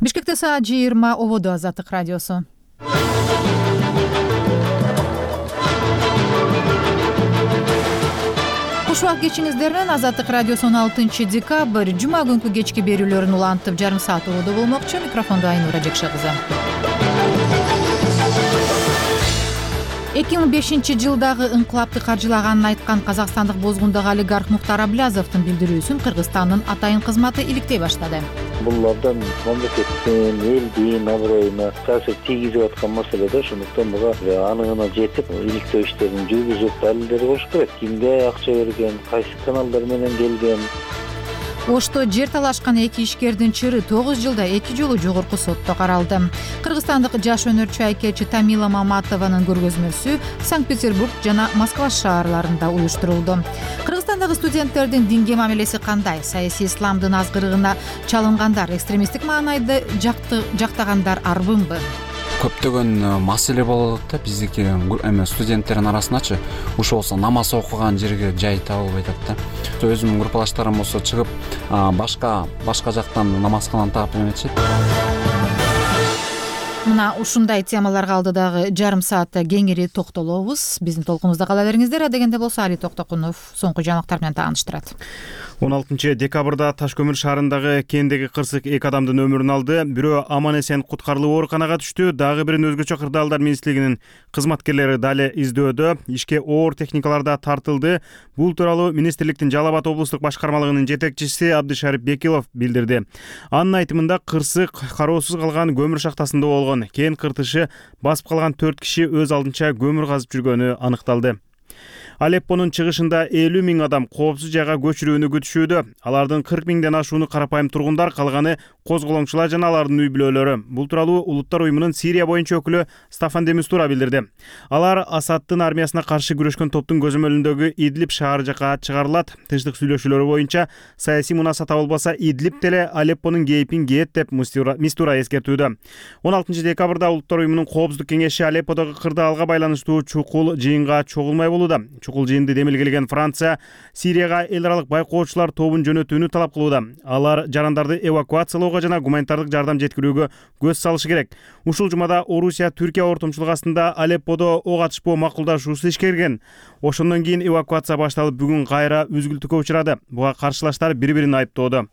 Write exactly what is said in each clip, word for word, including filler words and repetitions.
Бишкекте саат жыйырма ободо Азаттык радиосу. Куш убак кечиңиздерден Азаттык радиосу он алтынчы декабрь жума күнкү кечки берүүлөрүн улантып жарым саат ободо болмокчу. Микрофондо Айнура Жекше кызы. эки миң бешинчи жылдагы инкылапты каржылаганын айткан казакстандык бозгундагы олигарх Мухтар Аблязовдун билдирүүсүн Кыргызстандын атайын кызматы иликтей баштады. Бул абдан мамлекеттин, элдин аброюна таасир тийгизип аткан маселе да, ошондуктан буга анығына жетип, иликтөө иштерин жүргүзүп, далилдер коюш керек. Кимге акча берген, кайсы каналдар менен келген. Ошто жер талашкан эки ишкердин чыры тогуз жылда эки жолу жогорку сотто каралды. Кыргызстандык жаш өнөрчү айкелчи Тамила Маматованын көргөзмөсү Санкт-Петербург жана Москва шаарларында уюштурулду. Кыргызстандагы студенттердин динге мамилеси кандай? Саясий исламдын азгырыгына чалынгандар, экстремисттик маанайды жактагандар арбынбы? Көптөгөн маселе болот да биздики эме студенттердин арасындачы. Ушул болсо намаз окуган жерге жай табылбай атат да. Өзүмдүн группалаштарым болсо чыгып башка башка жактан намазкананы таап эметишет. Мына ушундай темаларга алдыдагы жарым саатта кеңири токтолобуз. Биздин толкунубузда кала бериңиздер. Адегенде болсо Али Токтокунов соңку жаңылыктар менен тааныштырат. он алтынчы декабрда Таш көмүр шаарындагы кендеги кырсык эки адамдын өмүрүн алды. Бирөө аман эсен куткарылып ооруканага түштү. Дагы бирин өзгөчө кырдаалдар министрлигинин кызматкерлери дали издөөдө. Ишке оор техникалар да тартылды. Бул тууралуу министрликтин Жалал Абад облустук башкармалыгынын жетекчиси Абдышарип Бекилов билдирди. Анын айтымында кырсык кароосуз калган көмүр шахтасында болгон. Кен кыртышы басып калган төрт киши өз алдынча көмүр казып жүргөнү аныкталды. Алеппонун чыгышында элүү миң адам коопсуз жайга көчүрүүнү күтүшүүдө. Алардын кырк миңден ашууну карапайым тургундар, калганы козголоңчулар жана алардын үй бүлөлөрү. Бул тууралуу Улуттар уюмунун Сирия боюнча өкүлү Стафан де Мистура билдирди. Алар Асадтын армиясына каршы күрөшкөн топтун көзөмөлүндөгү Идлиб шаар жака чыгарылат. Тынчтык сүйлөшүүлөрү боюнча саясий мунаса табылбаса, Идлиб деле Алеппонун кейпин кээт деп Мистура эскертүүдө. он алтынчы декабрда Улуттар уюмунун коопсуздук кеңеши Алепподогу кырдаалга байланыштуу чукул жыйынга чогулмай болууда. Чукул жыйынды демилгелеген Франция Сирияга эл аралык байкоочулар тобун жөнөтүүнү талап кылууда. Алар жарандарды эвакуациялоого жана гуманитардык жардам жеткирүүгө көз салышы керек. Ушул жумада Орусия Түркия ортомчулугу астында Алепподо ок атышпоо макулдашуусу ишке кирген. Ошондон кийин эвакуация башталып, бүгүн кайра үзгүлтүккө учурады. Буга каршылаштар бири-бирин айыптоодо.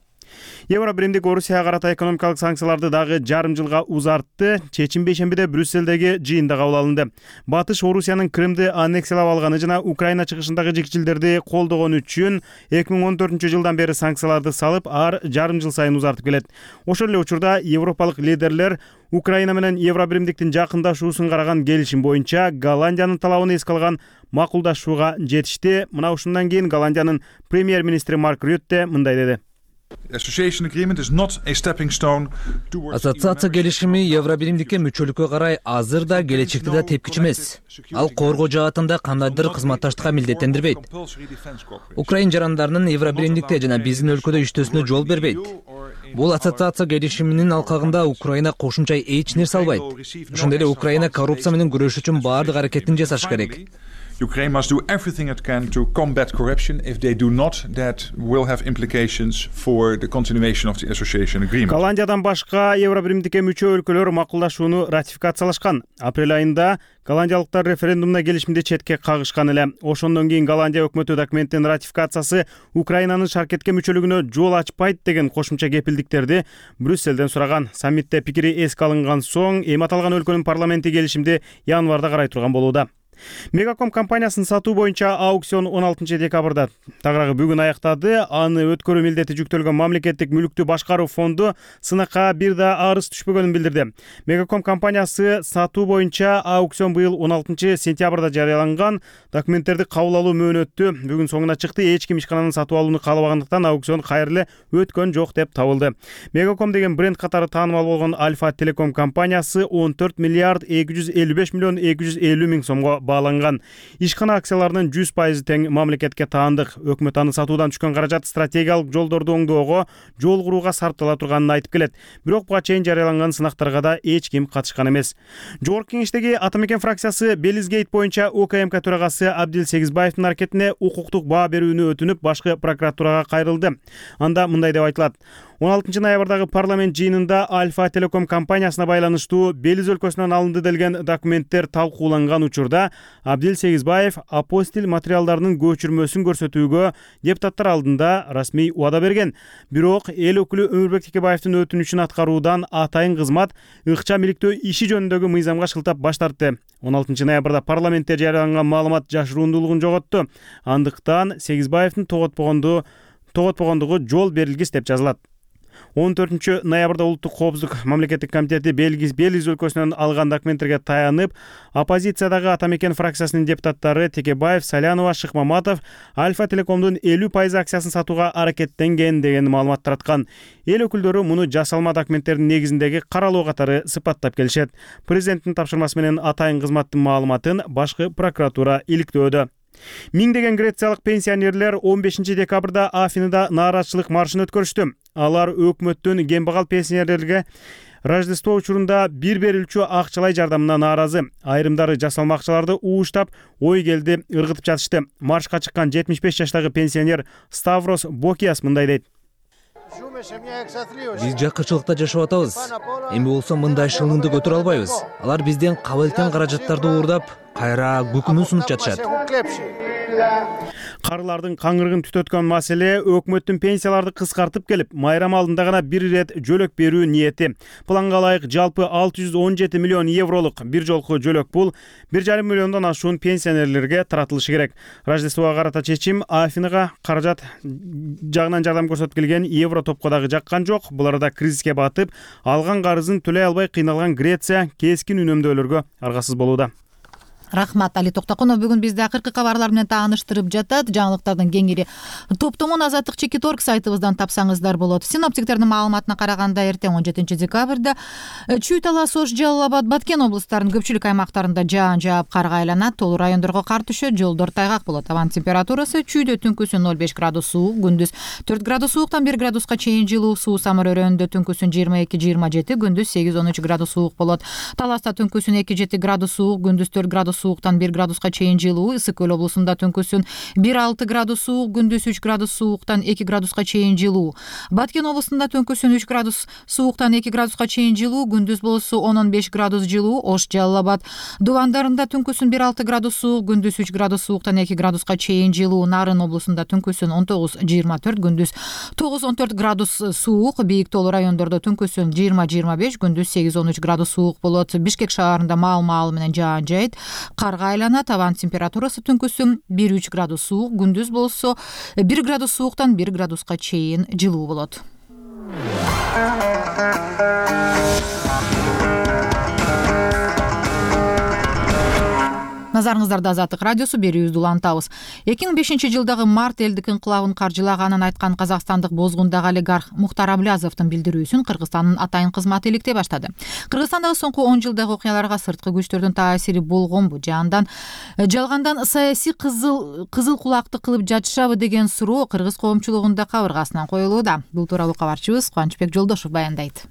Евро биримдик Орусияга карата экономикалык санкцияларды дагы жарым жылга узартты. Чечим бейшембиде Брюсселдеги жыйында кабыл алынды. Батыш Орусиянын Крымды аннексиялап алганы жана Украина чыгышындагы жикчилдерди колдогону үчүн эки миң он төртүнчү жылдан бери санкцияларды салып, ар жарым жыл сайын узартып келет. Ошол эле учурда европалык лидерлер Украина менен Евро биримдиктин жакындашуусун караган келишим боюнча Голландиянын талабын эске алган макулдашууга жетишти. Мына ушундан кийин Голландиянын премьер-министри Марк Рютте мындай деди. Ассоциация келишими Евро биримдикке мүчөлүккө карай азыр да келечекте да тепкич эмес. Ал коргоо жаатында кандайдыр кызматташтыкка милдеттендирбейт. Украин жарандарынын Евро биримдикте жана биздин өлкөдө иштөөсүнө жол бербейт. Бул ассоциация келишиминин алкагында Украина кошумча эч нерсе албайт. Ошондой эле Украина коррупция менен күрөшүү үчүн баардык аракетин жасаш керек. Ukraine must do everything it can to combat corruption. If they do not, that will have implications for the continuation of the association agreement. Голландиядан башка Евро биримдикке мүчө өлкөлөр макулдашууну ратификациялашкан. Апрель айында голландиялыктар референдумда келишимди четке кагышкан эле. Ошондон кийин Голландия өкмөтү документтин ратификациясы Украинанын шаркетке мүчөлүгүнө жол ачпайт деген кошумча кепилдиктерди Брюсселден сураган. Саммитте пикири эске алынган соң эми аталган өлкөнүн парламенти келишимди январда карай турган болууда. Мегаком компаниясынын сатуу боюнча аукцион он алтынчы декабрда тагыраагы бүгүн аяктады. Аны өткөрүү милдети жүктөлгөн мамлекеттик мүлүктү башкаруу фонду сынакка бир да арыз түшпөгөнүн билдирди. Мегаком компаниясы сатуу боюнча аукцион быйыл он алтынчы сентябрда жарыяланган. Документтерди кабыл алуу мөөнөтү бүгүн соңуна чыкты. Эч ким ишкананы сатып алууну каалабагандыктан аукцион кайрылы өткөн жок деп табылды. Мегаком деген бренд катары таанымал болгон Альфа Телеком компаниясы он төрт миллиард эки жүз элүү беш миллион эки жүз элүү миң сомго бааланган. Ишкана акцияларынын жүз пайызы тең мамлекетке таандык. Өкмөт аны сатуудан түшкөн каражат стратегиялык жолдорду оңдоого, жол курууга сарптала турганын айтып келет. Бирок буга чейин жарыяланган сынактарга да эч ким катышкан эмес. Жогорку кеңештеги Атамекен фракциясы Белизгейт боюнча УКМК төрагасы Абдил Сегизбаевдин аракетине укуктук баа берүүнү өтүнүп, башкы прокуратурага кайрылды. Анда мындай деп айтылат: он алтынчы ноябрдагы парламент жыйынында Альфа Телеком компаниясына байланыштуу Белиз өлкөсүнөн алынды делген документтер талкууланган учурда Абдил Сегизбаев апостиль материалдарынын көчүрмөсүн көрсөтүүгө депутаттар алдында расмий убада берген. Бирок эл өкүлү Өмүрбек Текебаевдин өтүнүчүн аткаруудан атайын кызмат ыкчам иликтөө иши жөнүндөгү мыйзамга шылтап баш тартты. он алтынчы ноябрда парламентте жарыяланган маалымат жашырундуулугун жоготту. Андыктан Сегизбаевдин тоготпогондугу тоготпогондугу жол берилгис деп жазылат. он төртүнчү ноябрда улуттук коопсуздук мамлекеттик комитети Белиз Белиз өлкөсүнөн алган документтерге таянып, оппозициядагы Атамекен фракциясынын депутаттары Текебаев, Салянова, Шыкмаматов Альфа Телекомдун элүү пайыз акциясын сатууга аракеттенген деген маалымат тараткан. Эл өкүлдөрү муну жасалма документтердин негизиндеги каралоо катары сыпаттап келишет. Президенттин тапшырмасы менен атайын кызматтын маалыматын башкы прокуратура иликтөөдө. Миңдеген грециялык пенсионерлер он бешинчи декабрда Афинада нааразычылык маршын өткөрүштү. Алар өкмөттүн кембагал пенсионерлерге Рождество учурунда бир берилчү акчалай жардамына нааразы. Айрымдары жасалма акчаларды ууштап, ой келди ыргытып жатышты. Маршка чыккан жетимиш беш жаштагы пенсионер Ставрос Бокиас мындай дейт: Биз жакырчылыкта жашап атабыз. Эми болсо мындай шылыңды көтөрө албайбыз. Алар бизден кабылтан каражаттарды уурдап, кайра күкүмүн сунуп жатышат. Карылардын каңырыгын түтөткөн маселе өкмөттүн пенсияларды кыскартып келип, майрам алдында гана бир ирет жөлөк берүү ниети. Планга ылайык жалпы алты жүз он жети миллион евролук бир жолку жөлөк пул бир жарым миллиондон ашуун пенсионерлерге таратылышы керек. Рождествого карата чечим Афинага каражат жагынан жардам көрсөтүп келген евро топко дагы жаккан жок. Бул арада кризиске батып, алган карызын төлөй албай кыйналган Греция кескин үнөмдөөлөргө аргасыз болууда. Рахмат, Али Токтокунов бүгүн бизди акыркы кабарлар менен тааныштырып жатат. Жаңылыктардын кеңири топтомун Азаттык чекит точка орг сайтыбыздан тапсаңыздар болот. Синоптиктердин маалыматына караганда эртең он жетинчи декабрда Чүй, Талас, Ош, Жалал Абад, Баткен облустарынын көпчүлүк аймактарында жаан жаап, карга айланат, толуу райондорго кар түшөт, жолдор тайгак болот. Абанын температурасы Чүйдө түнкүсүн ноль беш градус суук, күндүз төрт градус сууктан бир градуска чейин жылуу, Суу Самыр өрөөнүндө түнкүсүн жыйырма эки жыйырма жети, күндүз сегиз он үч градус суук болот. Таласта түнкүсүн эки жети градус суук, күндүз төрт градус сууктан бир градуска чейин жылуу, Ысык көл облусунда түнкүсүн бир алты градус суук, күндүз үч градус сууктан эки градуска чейин жылуу. Баткен облусунда түнкүсүн үч градус сууктан эки градуска чейин жылуу, күндүз болсо он он беш градус жылуу. Ош, Жалал Абад дубандарында түнкүсүн бир алты градус суук, күндүз үч градус сууктан эки градуска чейин жылуу. Нарын облусунда түнкүсүн он тогуз жыйырма төрт, күндүз тогуз он төрт градус суук. Бийик тоолуу райондордо түнкүсүн жыйырма жыйырма беш, күндүз сегиз он үч градус суук болот. Бишкек шаарында маал-маал менен жаан жайт, карга айланат. Абанын температурасы түнкүсүн бир үч градус суук, күндүз болсо бир градус сууктан бир градуска чейин жылуу болот. Назарыңыздарда Азаттык радиосу, берүүбүздү улантабыз. эки миң бешинчи жылдагы март элдик инкылабын каржылаганын айткан казакстандык бозгундагы олигарх Мухтар Аблязовдун билдирүүсүн Кыргызстандын атайын кызматы иликтей баштады. Кыргызстандагы соңку он жылдагы окуяларга сырткы күчтөрдүн таасири болгонбу, жаандан жалгандан саясий кызыл кызыл кулакты кылып жатышабы деген суроо кыргыз коомчулугунда кабыргасынан коюлууда. Бул тууралуу кабарчыбыз Кубанычбек Жолдошов баяндайт.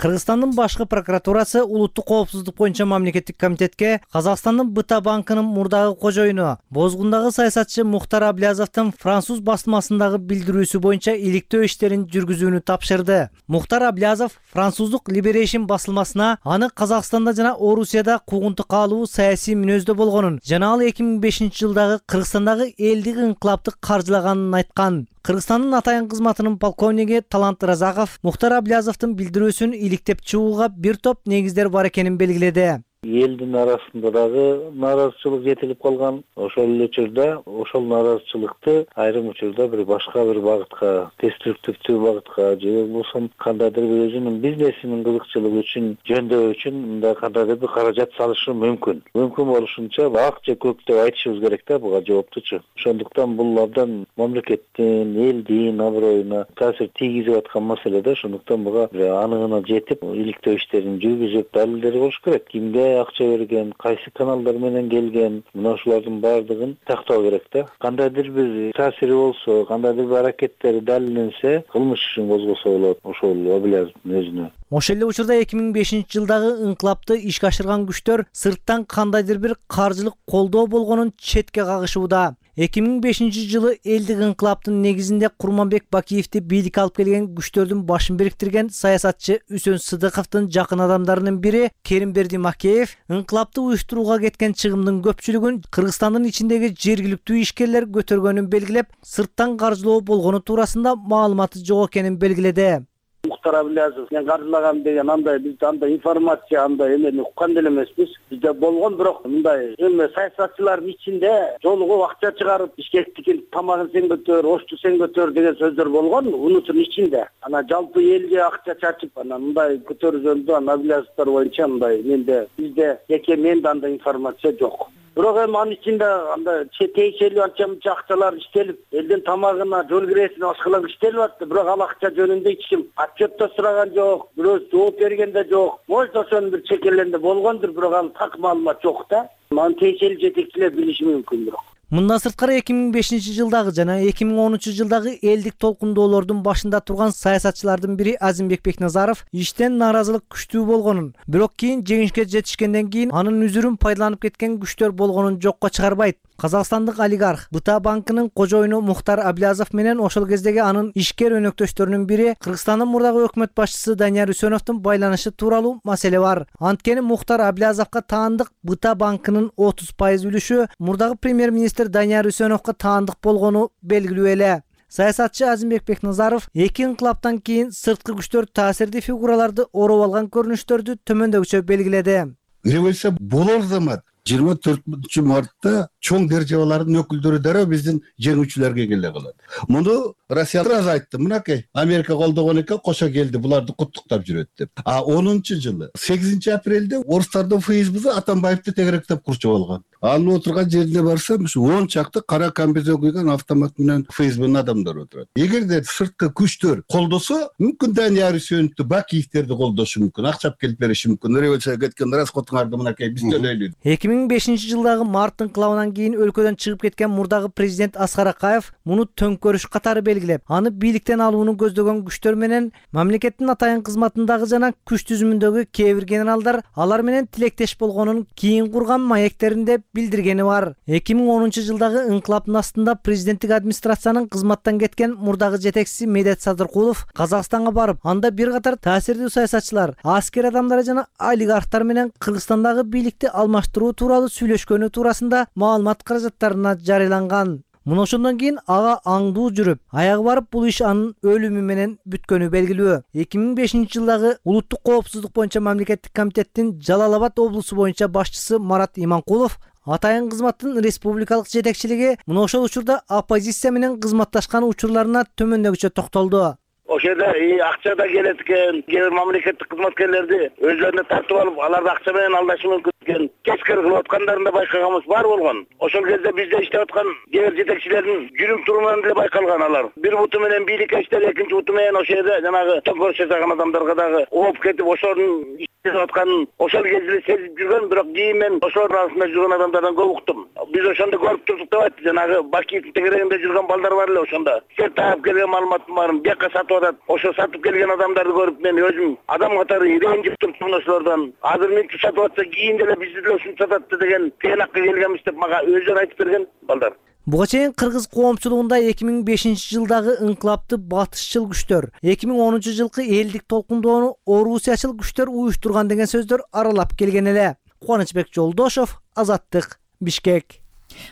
Кыргызстандын башкы прокуратурасы улуттук коопсуздук боюнча мамлекеттик комитетке Казакстандын БТА банкынын мурдагы кожоюну, бозгундагы саясатчы Мухтар Аблязовдун француз басмасындагы билдирүүсү боюнча иликтөө иштерин жүргүзүүнү тапшырды. Мухтар Аблязов француздук Liberation басылмасына аны Казакстанда жана Орусияда куугунтук каалуу саясий мүнөздө болгонун жана ал эки миң бешинчи жылдагы Кыргызстандагы элдик инкылапты каржылаганын айткан. Кыргызстандын атайын кызматынын полковниги Талант Разаков Мухтар Аблязовдун билдирүүсүн иликтеп чыгууга бир топ негиздер бар экенин белгиледи. Элдин арасында дагы нааразычылык жетилип калган. Ошол эле учурда ошол нааразычылыкты айрым учурда бир башка бир багытка, деструктивдүү багытка же болбосо кандайдыр бир өзүнүн бизнесинин кызыкчылыгы үчүн, жөндөө үчүн мындай кандайдыр бир каражат салышы мүмкүн. Мүмкүн болушунча ак же көк деп айтышыбыз керек да буга жооптучу. Ошондуктан бул абдан мамлекеттин, элдин аброюна таасир тийгизип аткан маселе да. Ошондуктан буга анығына жетип, иликтөө иштерин жүргүзүп, далилдери болуш керек. Кимге акча берген, кайсы каналдар менен келген, мына ушулардын баардыгын тактоо керек да. Кандайдыр бир таасири болсо, кандайдыр бир аракеттери далилденсе, кылмыш ишин козгосо болот ошол Аблязовдун өзүнө. Ошол эле учурда эки миң бешинчи жылдагы инкылапты ишке ашырган күчтөр сырттан кандайдыр бир каржылык колдоо болгонун четке кагышууда. эки миң бешинчи жылы элдик инкылаптын негизинде Курманбек Бакиевди бийликке алып келген күчтөрдүн башын бириктирген саясатчы Үсөн Сыдыковдун жакын адамдарынын бири Керимберди Макеев инкылапты уюштурууга кеткен чыгымдын көпчүлүгүн Кыргызстандын ичиндеги жергиликтүү ишкерлер көтөргөнүн белгилеп, сырттан каржылоо болгону туурасында маалыматы жок экенин белгиледи. Мухтар Аблязов мен каржылаган деген андай биз андай информация андай эмени уккан деле эмеспиз. Бизде болгон, бирок мындай эме саясатчылардын ичинде жолугуп акча чыгарып бишкектикин тамагын сен көтөр, ошту сен көтөр деген сөздөр болгон унутун ичинде. Ана жалпы элге акча чачып анан мындай көтөргөндө ана Аблязовдор боюнча мындай менде бизде жеке менде андай информация жок. Бирок эми анын ичинде андай тиешелүү анча мынча акчалар иштелип, элдин тамагына, жол киресине башкалар иштелип атты. Бирок ал акча жөнүндө эч ким отчет да сураган жок, бирөө жооп берген да жок. Может, ошонун бир чекелеринде болгондур, бирок ал так маалымат жок да. Аны тиешелүү жетекчилер билиши мүмкүн бирок. Мындан сырткары эки миң бешинчи жылдагы жана эки миң онунчу жылдагы элдик толкундоолордун башында турган саясатчылардын бири Азимбек Бекназаров иштен нааразылык күчтүү болгонун, бирок кийин жеңишке жетишкенден кийин анын үзүрүн пайдаланып кеткен күчтөр болгонун жокко чыгарбайт. Казакстандык олигарх Быта банкынын кожоюну Мухтар Аблязов менен ошол кездеги анын ишкер өнөктөштөрүнүн бири Кыргызстандын мурдагы өкмөт башчысы Данияр Үсөновдун байланышы тууралуу маселе бар. Анткени Мухтар Аблязовго таандык Быта банкынын отуз пайыз үлүшү мурдагы премьер-министр Данияр Үсөновго таандык болгону белгилүү эле. Саясатчы Азимбек Бекназаров эки инкылаптан кийин сырткы күчтөр таасирдүү фигураларды ороп алган көрүнүштөрдү төмөндөгүчө белгиледи. Революция болор замат жыйырма төртүнчү мартта чоң державалардын өкүлдөрү дароо биздин жеңүүчүлөргө келе калат. Муну Россия раз айтты, мынакей Америка колдогон экен, кошо келди, буларды куттуктап жүрөт деп. А онунчу жылы сегизинчи апрелде орустардын ФСБсы Атамбаевди тегеректеп курчуп алган. Анын отурган жерине барсам, ушу он чакты кара камбезге кийген автомат менен ФСБнын адамдары отурат. Эгерде сырткы күчтөр колдосо, мүмкүн Данияр Үсөновду, Бакиевдерди колдошу мүмкүн, акча келип бериши мүмкүн. Революцияга кеткен раскотуңарды мынакей биз төлөйлү. эки миң бешинчи жылдагы март инкылабынан кийин өлкөдөн чыгып кеткен мурдагы президент Аскар Акаев муну төңкөрүш катары белгилеп, аны бийликтен алууну көздөгөн күчтөр менен мамлекеттин атайын кызматындагы жана күч түзүмүндөгү кээ бир генералдар алар менен тилектеш болгонун кийин курган маектеринде билдиргени бар. эки миң онунчу жылдагы инкылаптын астында президенттик администрациянын кызматтан кеткен мурдагы жетекчиси Медет Садыркулов Казакстанга барып, анда бир катар таасирдүү саясатчылар, аскер адамдары жана олигархтар менен Кыргызстандагы бийликти алмаштыруу тууралуу сүйлөшкөнү туурасында маалымат каражаттарына жарыяланган. Муну ошондон кийин ага аңдуу жүрүп, аягы барып бул иш анын өлүмү менен бүткөнү белгилүү. эки миң бешинчи жылдагы улуттук коопсуздук боюнча мамлекеттик комитеттин Жалал Абад облусу боюнча башчысы Марат Иманкулов атайын кызматтын республикалык жетекчилиги муну ошол учурда оппозиция менен кызматташкан учурларына төмөндөгүчө токтолду. Ошол жерде акча да келет экен, кээ бир мамлекеттик кызматкерлерди өзлөрүнө тартып алып, аларды акча менен алдашы мүмкүн экен. Кескер кылып аткандарын да байкаганыбыз бар болгон. Ошол кезде бизде иштеп аткан кээ бир жетекчилердин жүрүм турумунан деле байкалган алар. Бир буту менен бийликке иштеп, экинчи буту менен ошол жерде жанагы төңкөрүш жасаган адамдарга дагы ооп кетип, ошонун иштеп атканын ошол кезде сезип жүргөн, бирок кийин мен ошолор арасында жүргөн адамдардан көп уктум. Биз ошондо көрүп турдук деп айтты. Жанагы Бакиевдин тегерегинде жүргөн балдар бар эле ошондо. Сер таап келген маалыматтын баарын бияка сатып атат. Ошо сатып келген адамдарды көрүп мен өзүм адам катары ренжип турдум ошолордон. Азыр мынча сатып атса кийин деле бизди деле ушинтип сатат деген тыянакка келгенбиз деп мага өзүнө айтып берген балдар. Буга чейин кыргыз коомчулугунда эки миң бешинчи жылдагы инкылапты батышчыл күчтөр, эки миң онунчу жылкы элдик толкундоону орусиячыл күчтөр уюштурган деген сөздөр аралап келген эле. Кубанычбек Жолдошов, Азаттык, Бишкек.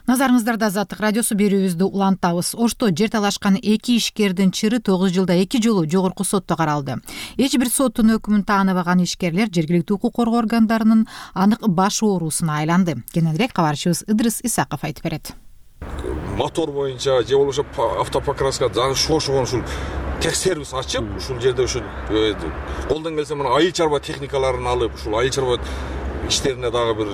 Назарыңыздарда Азаттык радиосу берүүбүздү улантабыз. Ошто жер талашкан эки ишкердин чыры тогуз жылда эки жолу жогорку сотто каралды. Эч бир соттун өкүмүн тааныбаган ишкерлер жергиликтүү укук коргоо органдарынын анык баш оорусуна айланды. Кененирээк кабарчыбыз Ыдрыс Исаков айтып берет. Мотор боюнча же болбосо автопокраска жана шошугон ушул текшерүүс ачып, ушул жерде ушул колдон келсе мына айыл чарба техникаларын алып, ушул айыл чарба иштерине дагы бир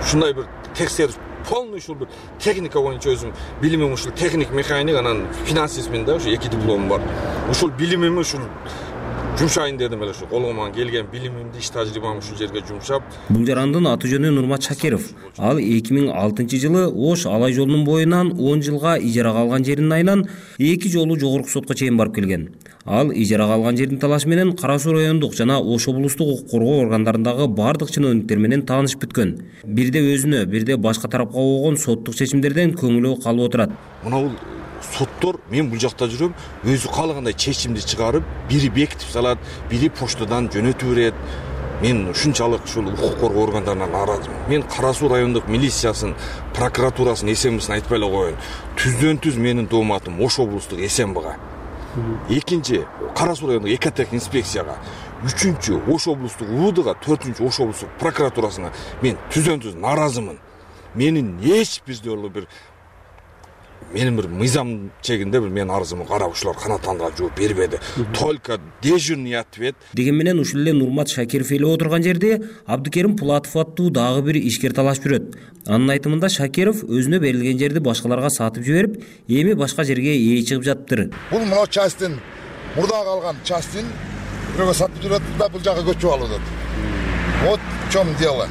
ушундай бир текшерүү полный ушул бир техника боюнча өзүм билимим ушул техник механик, анан финансистмин да, ушу эки дипломум бар. Ушул билимим ушул жумшайын дедим эле, ушу колуман келген билимимди, иш тажрыйбамды ушул жерге жумшап. Бул жарандын аты жөнү Нурмат Шакиров. Ал эки миң алтынчы жылы Ош Алай жолунун боюнан он жылга ижарага алган жеринин айынан эки жолу жогорку сотко чейин барып келген. Ал ижарага алган жердин талашы менен Кара Суу райондук жана Ош облустук укук коргоо органдарындагы бардык чынөөнүктөр менен таанышып бүткөн. Бирде өзүнө, бирде башка тарапка болгон соттук чечимдерден көңүлү калып отурат. Мына бул соттор, мен бул жакта жүрөм, өзү каалагандай чечимди чыгарып, бири бекитип салат, бири почтадан жөнөтүп берет. Мен ушунчалык ушул укук коргоо органдарынан нааразымын. Мен Кара Суу райондук милициясын, прокуратурасын, СМБсын айтпай эле коеюн. Түздөн түз менин дооматым Ош облустук СМБга. Экинчи Кара Суу райондук экотех инспекцияга, үчүнчү Ош облустук УВДга, төртүнчү Ош облустук прокуратурасына мен түздөн түз нааразымын. Менин эч бир жолу бир менин бир мыйзам чегинде бир менин арызымды карап ушулар канааттандыга жооп бербеди. Только дежурный ответ. Деген менен ушул эле Нурмат Шакиров эле отурган жерде Абдыкерим Пулатов аттуу дагы бир ишкер талашып жүрөт. Анын айтымында Шакиров өзүнө берилген жерди башкаларга сатып жиберип, эми башка жерге ээ чыгып жатыптыр. Бул мына частын мурда калган частын бирөөгө сатып жүрөт да бул жакка көчүп алып атат. Вот в чем дело.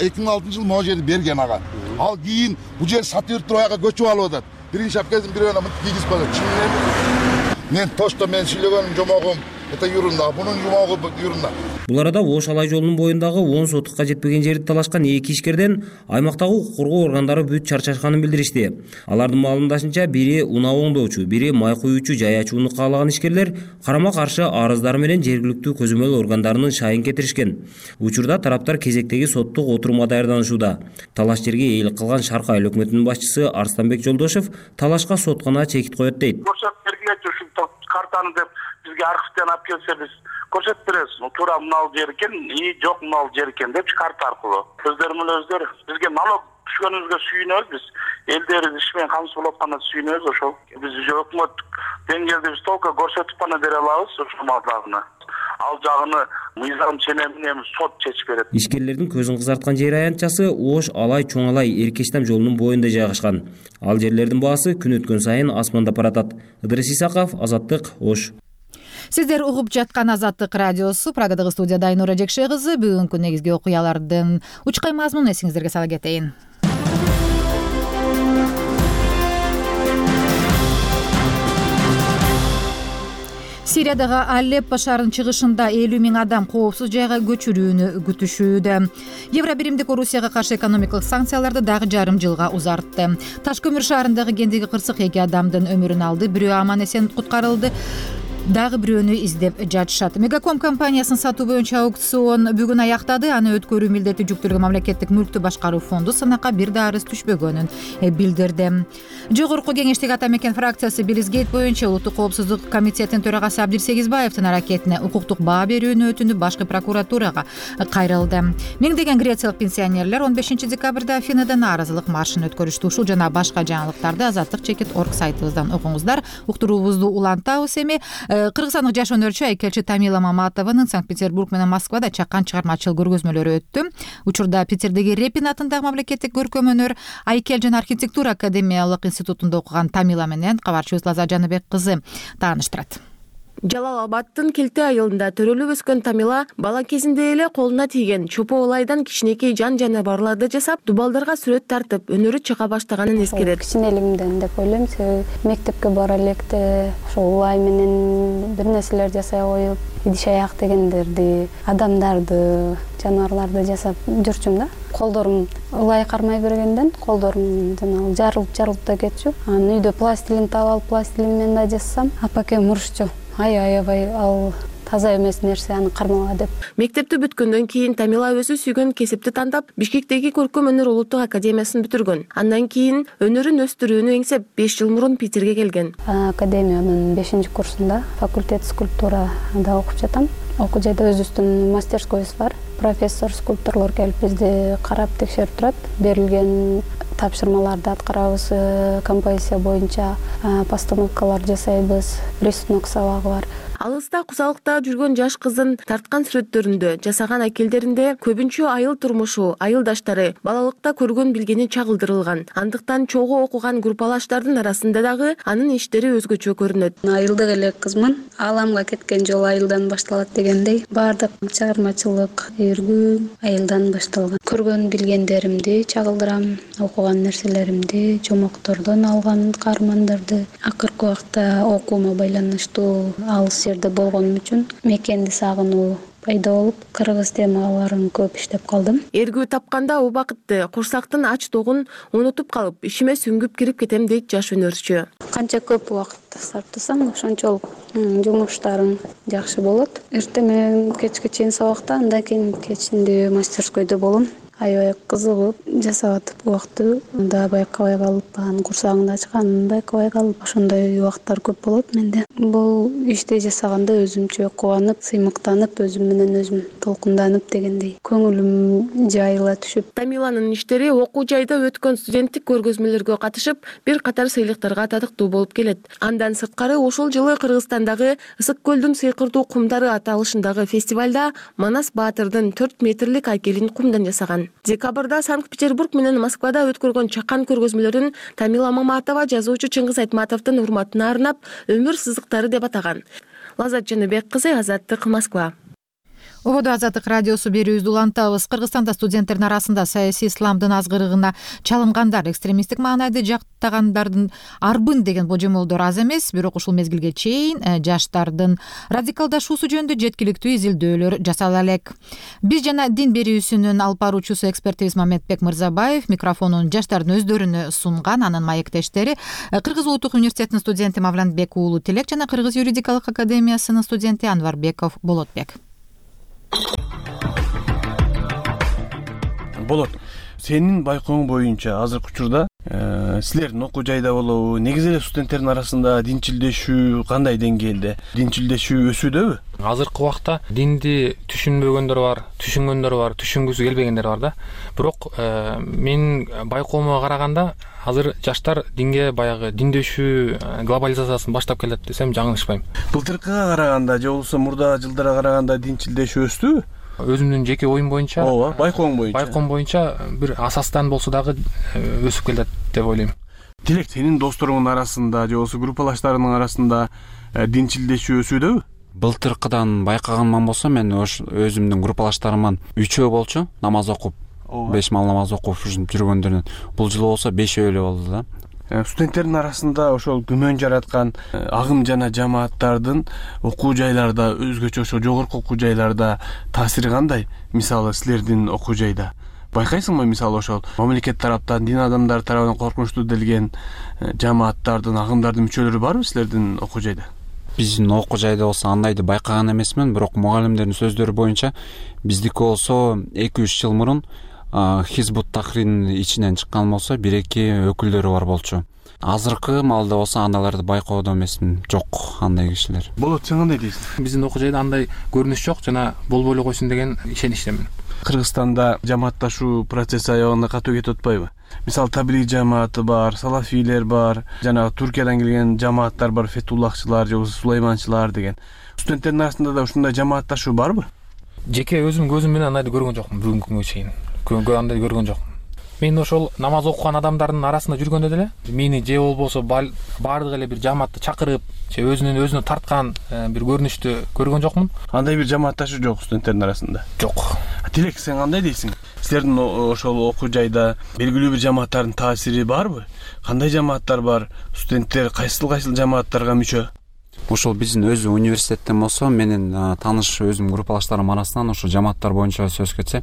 эки миң алтынчы жылы могу жерди берген ага. Ал кийин бул жер сатып берип туруп аяка көчүп алып атат. Биринчи апкезин бирөөнө мынтип кийгизип коет. Чын мен тошто мен сүйлөгөнүм жомогум это юрунда, бунун жомогу юрунда. Бул арада Ош Алай жолунун боюндагы он сотукка жетпеген жерди талашкан эки ишкерден аймактагы укук коргоо органдары бүт чарчашканын билдиришти. Алардын маалымдашынча бири унаа оңдоочу, бири май куюучу жай ачууну каалаган ишкерлер карама-каршы арыздары менен жергиликтүү көзөмөл органдарынын шайын кетиришкен. Учурда тараптар кезектеги соттук отурумга даярданышууда. Талаш жерге ээлик кылган Шарк айыл өкмөтүнүн башчысы Арстанбек Жолдошов талашка соткана чекит коет дейт. Картаны деп бизге архивден алып келсе биз көрсөтүп беребиз. Туура мынал жер экен, и жок мынал жер экен деп карта аркылуу. Өздөрү менен өздөрү бизге налог түшкөнүбүзгө сүйүнөбүз биз. Элдерибиз иш менен камсыз болуп атканда сүйүнөбүз ошол. Биз өкмөт деңгээлде биз толук көрсөтүп гана бере алабыз ошол маалдагына. Ал жагыны мыйзам ченемин сот чечип берет. Ишкерлердин көзүн кызарткан жер аянтчасы Ош Алай Чоң Алай Эркештам жолунун боюнда жайгашкан. Ал жерлердин баасы күн өткөн сайын асмандап баратат. Ыдырыс Исаков, Азаттык, Ош. Сиздер угуп жаткан Азаттык радиосу. Прагадагы студияда Айнура Жекше кызы. Бүгүнкү негизги окуялардын учкай мазмунун эсиңиздерге сала кетейин. Сириядагы Алеппо шаарынын чыгышында элүү миң адам коопсуз жайга көчүрүүнү күтүшүүдө. Евробиримдик Орусияга каршы экономикалык санкцияларды дагы жарым жылга узартты. Ташкөмүр шаарындагы кендеги кырсык эки адамдын өмүрүн алды, бирөө аман эсен куткарылды. Дагы бирөөнү издеп жатышат. Мегаком компаниясынын сатуу боюнча аукцион бүгүн аяктады. Аны өткөрүү милдети жүктөлгөн мамлекеттик мүлктү башкаруу фонду сынакка бир да арыз түшпөгөнүн билдирди. Жогорку кеңештеги ата мекен фракциясы Билизгейт боюнча улуттук коопсуздук комитетинин төрагасы Абдир Сегизбаевдин аракетине укуктук баа берүүнү өтүнүп башкы прокуратурага кайрылды. Миңдеген грециялык пенсионерлер он бешинчи декабрда Афинада нааразылык маршын өткөрүштү. Ушул жана башка жаңылыктарды Азаттык чекит орг сайтыбыздан окуңуздар. Уктуруубузду улантабыз эми. Кыргызстандык жаш өнөрчү айкелчи Тамила Маматованын Санкт-Петербург менен Москвада чакан чыгармачыл көргөзмөлөрү өттү. Учурда Питердеги Репин атындагы мамлекеттик көркөм өнөр, айкел жана архитектура академиялык институтунда окуган Тамила менен кабарчыбыз Лаза Жаныбек кызы тааныштырат. Жалал Абадтын Келте айылында төрөлүп өскөн Тамила бала кезинде эле колуна тийген чопо улайдан кичинекей жан жаныбарларды жасап, дубалдарга сүрөт тартып, өнөрү чыга баштаганын эскерет. Кичинелигимден деп ойлойм, себеби мектепке бара электе ошол улай менен бир нерселер жасай коюп, идиш аяк дегендерди, адамдарды, жаныбарларды жасап жүрчүм да. Колдорум улай кармай бергенден колдорум жанагы жарылып жарылып да кетчү. Анан үйдө пластилин таап алып, пластилин менен да жасасам, апакем урушчу. Ай аябай ал таза эмес нерсе, аны кармала деп. Мектепти бүткөндөн кийин Тамила өзү сүйгөн кесипти тандап, Бишкектеги Көркөм өнөр улуттук академиясын бүтүргөн. Андан кийин өнөрүн өстүрүүнү эңсеп беш жыл мурун Питерге келген. Академиянын бешинчи курсунда факультет скульптурада окуп жатам. Окуу жайда өзүбүздүн мастерскойбуз бар. Профессор скульпторлор келип бизди карап текшерип турат. Берилген тапшырмаларды аткарабыз, композиция боюнча постановкалар жасайбыз, рисунок сабагы бар. Алыста кусалыкта жүргөн жаш кыздын тарткан сүрөттөрүндө, жасаган акелдеринде көбүнчө айыл турмушу, айылдаштары, балалыкта көргөн билгени чагылдырылган. Андыктан чогуу окуган группалаштардын арасында дагы анын иштери өзгөчө көрүнөт. Айылдык эле кызмын. Ааламга кеткен жол айылдан башталат дегендей, баардык чыгармачылык, өргүү айылдан башталган. Көргөн билгендеримди чагылдырам, окуган нерселеримди, жомоктордон алган каармандарды. Акыркы убакта окуума байланыштуу алыс жерде болгонум үчүн мекенди сагынуу пайда болуп, кыргыз темаларын көп иштеп калдым. Эргүү тапканда убакытты, курсактын ачтыгын унутуп калып, ишиме сүңгүп кирип кетем дейт жаш өнөрчү. Канча көп убакыт сарптасаң, ошончолук жумуштарың жакшы болот. Эртең менен кечке чейин сабакта, андан кийин кечинде мастерскойдо болом. Аябай кызыгып жасап атып убакытты да байкабай калып, анын курсагында ачканын байкабай калып, ошондой убакыттар көп болот менде. Бул ишти жасаганда өзүмчө кубанып, сыймыктанып, өзүм менен өзүм толкунданып дегендей көңүлүм жайыла түшүп. Тамиланын иштери окуу жайда өткөн студенттик көргөзмөлөргө катышып, бир катар сыйлыктарга татыктуу болуп келет. Андан сырткары ушул жылы Кыргызстандагы Ысык көлдүн сыйкырдуу кумдары аталышындагы фестивалда Манас Баатырдын төрт метрлик айкелин кумдан жасаган. Декабрда Санкт-Петербург менен Москвада өткөргөн чакан көргөзмөлөрүн Тамила Маматова жазуучу Чыңгыз Айтматовдун урматына арнап өмүр сызыктары деп атаган. Лаззат Жаныбек кызы, Азаттык, Москва. Ободо Азаттык радиосу берүүбүздү улантабыз. Кыргызстанда студенттердин арасында саясий исламдын азгырыгына чалынгандар, экстремисттик маанайды жактагандардын арбын деген божомолдор аз эмес, бирок ушул мезгилге чейин жаштардын радикалдашуусу жөнүндө жеткиликтүү изилдөөлөр жасала элек. Биз жана дин берүүсүнүн алып баруучусу экспертибиз Мамедбек Мырзабаев микрофонун жаштардын өздөрүнө сунган. Анын маектештери Кыргыз улуттук университетинин студенти Мавланбек уулу Тилек жана Кыргыз юридикалык академиясынын студенти Анварбеков Болотбек. Болот, сенин байкооң боюнча азыркы учурда силердин окуу жайда болобу, негизи эле студенттердин арасында динчилдешүү кандай деңгээлде? Динчилдешүү өсүүдөбү? Азыркы убакта динди түшүнбөгөндөр бар, түшүнгөндөр бар, түшүнгүсү келбегендер бар да. Бирок менин байкоомо караганда азыр жаштар динге баягы диндешүү глобализациясын баштап келет десем жаңылышпайм. Былтыркыга караганда же болбосо мурда жылдарга караганда динчилдешүү өстүбү? Өзүмдүн жеке оюм боюнча, ооба, байкооң боюнча. Байкоом боюнча бир асастан болсо дагы өсүп келет деп ойлойм. Тилек, сенин досторуңдун арасында же болбосо группалаштарыңдын арасында динчилдешүү өсүүдөбү? Былтыркыдан байкаганман болсо, мен өзүмдүн группалаштарыман үчөө болчу, намаз окуп, беш мал намаз окуп жүргөндөрдөн. Бул жылы болсо бешөө эле болду да. Студенттердин арасында ошол күмөн жараткан агым жана жамааттардын окуу жайларда, өзгөчө ошо жогорку окуу жайларда таасири кандай? Мисалы, силердин окуу жайда байкайсыңбы, мисалы ошол мамлекет тараптан, дин адамдары тарабынан коркунучтуу делген жамааттардын, агымдардын мүчөлөрү барбы силердин окуу жайда? Биздин окуу жайда болсо андайды байкаган эмесмин, бирок мугалимдердин сөздөрү боюнча биздики болсо эки үч жыл мурун Хизбут Тахрирдин ичинен чыккан болсо бир-эки өкүлдөрү бар болчу. Азыркы маалда болсо андайларды байкоодо эмесмин, жок андай кишилер. Болот, сен кандай дейсиң? Биздин окуу жайда андай көрүнүш жок жана болбой эле койсун деген ишеничтемин. Кыргызстанда жамаатташуу процесси аягына катуу кетип атпайбы? Мисалы, таблиг жамааты бар, салафийлер бар, жана Туркиядан келген жамааттар бар, фетуллахчылар же болбосо сулайманчылар деген. Студенттердин арасында да ушундай жамаатташуу барбы? Жеке өзүм көзүм менен андайды көргөн жокмун бүгүнкү күнгө чейин. Андай көргөн жокмун. Мен ошол намаз окуган адамдардын арасында жүргөндө деле мени же болбосо баардык эле бир жамаатты чакырып, же өзүнүн өзүнө тарткан бир көрүнүштү көргөн жокмун. Андай бир жамаатташуу жок студенттердин арасында. Жок. Тилек, сен кандай дейсиң? Силердин ошол окуу жайда белгилүү бир жамааттардын таасири барбы? Кандай жамааттар бар? Студенттер кайсыл кайсыл жамааттарга мүчө? Ошол биздин өзү университеттен болсо, менин тааныш өзүм группалаштарым арасынан ошо жамааттар боюнча сөз кетсе,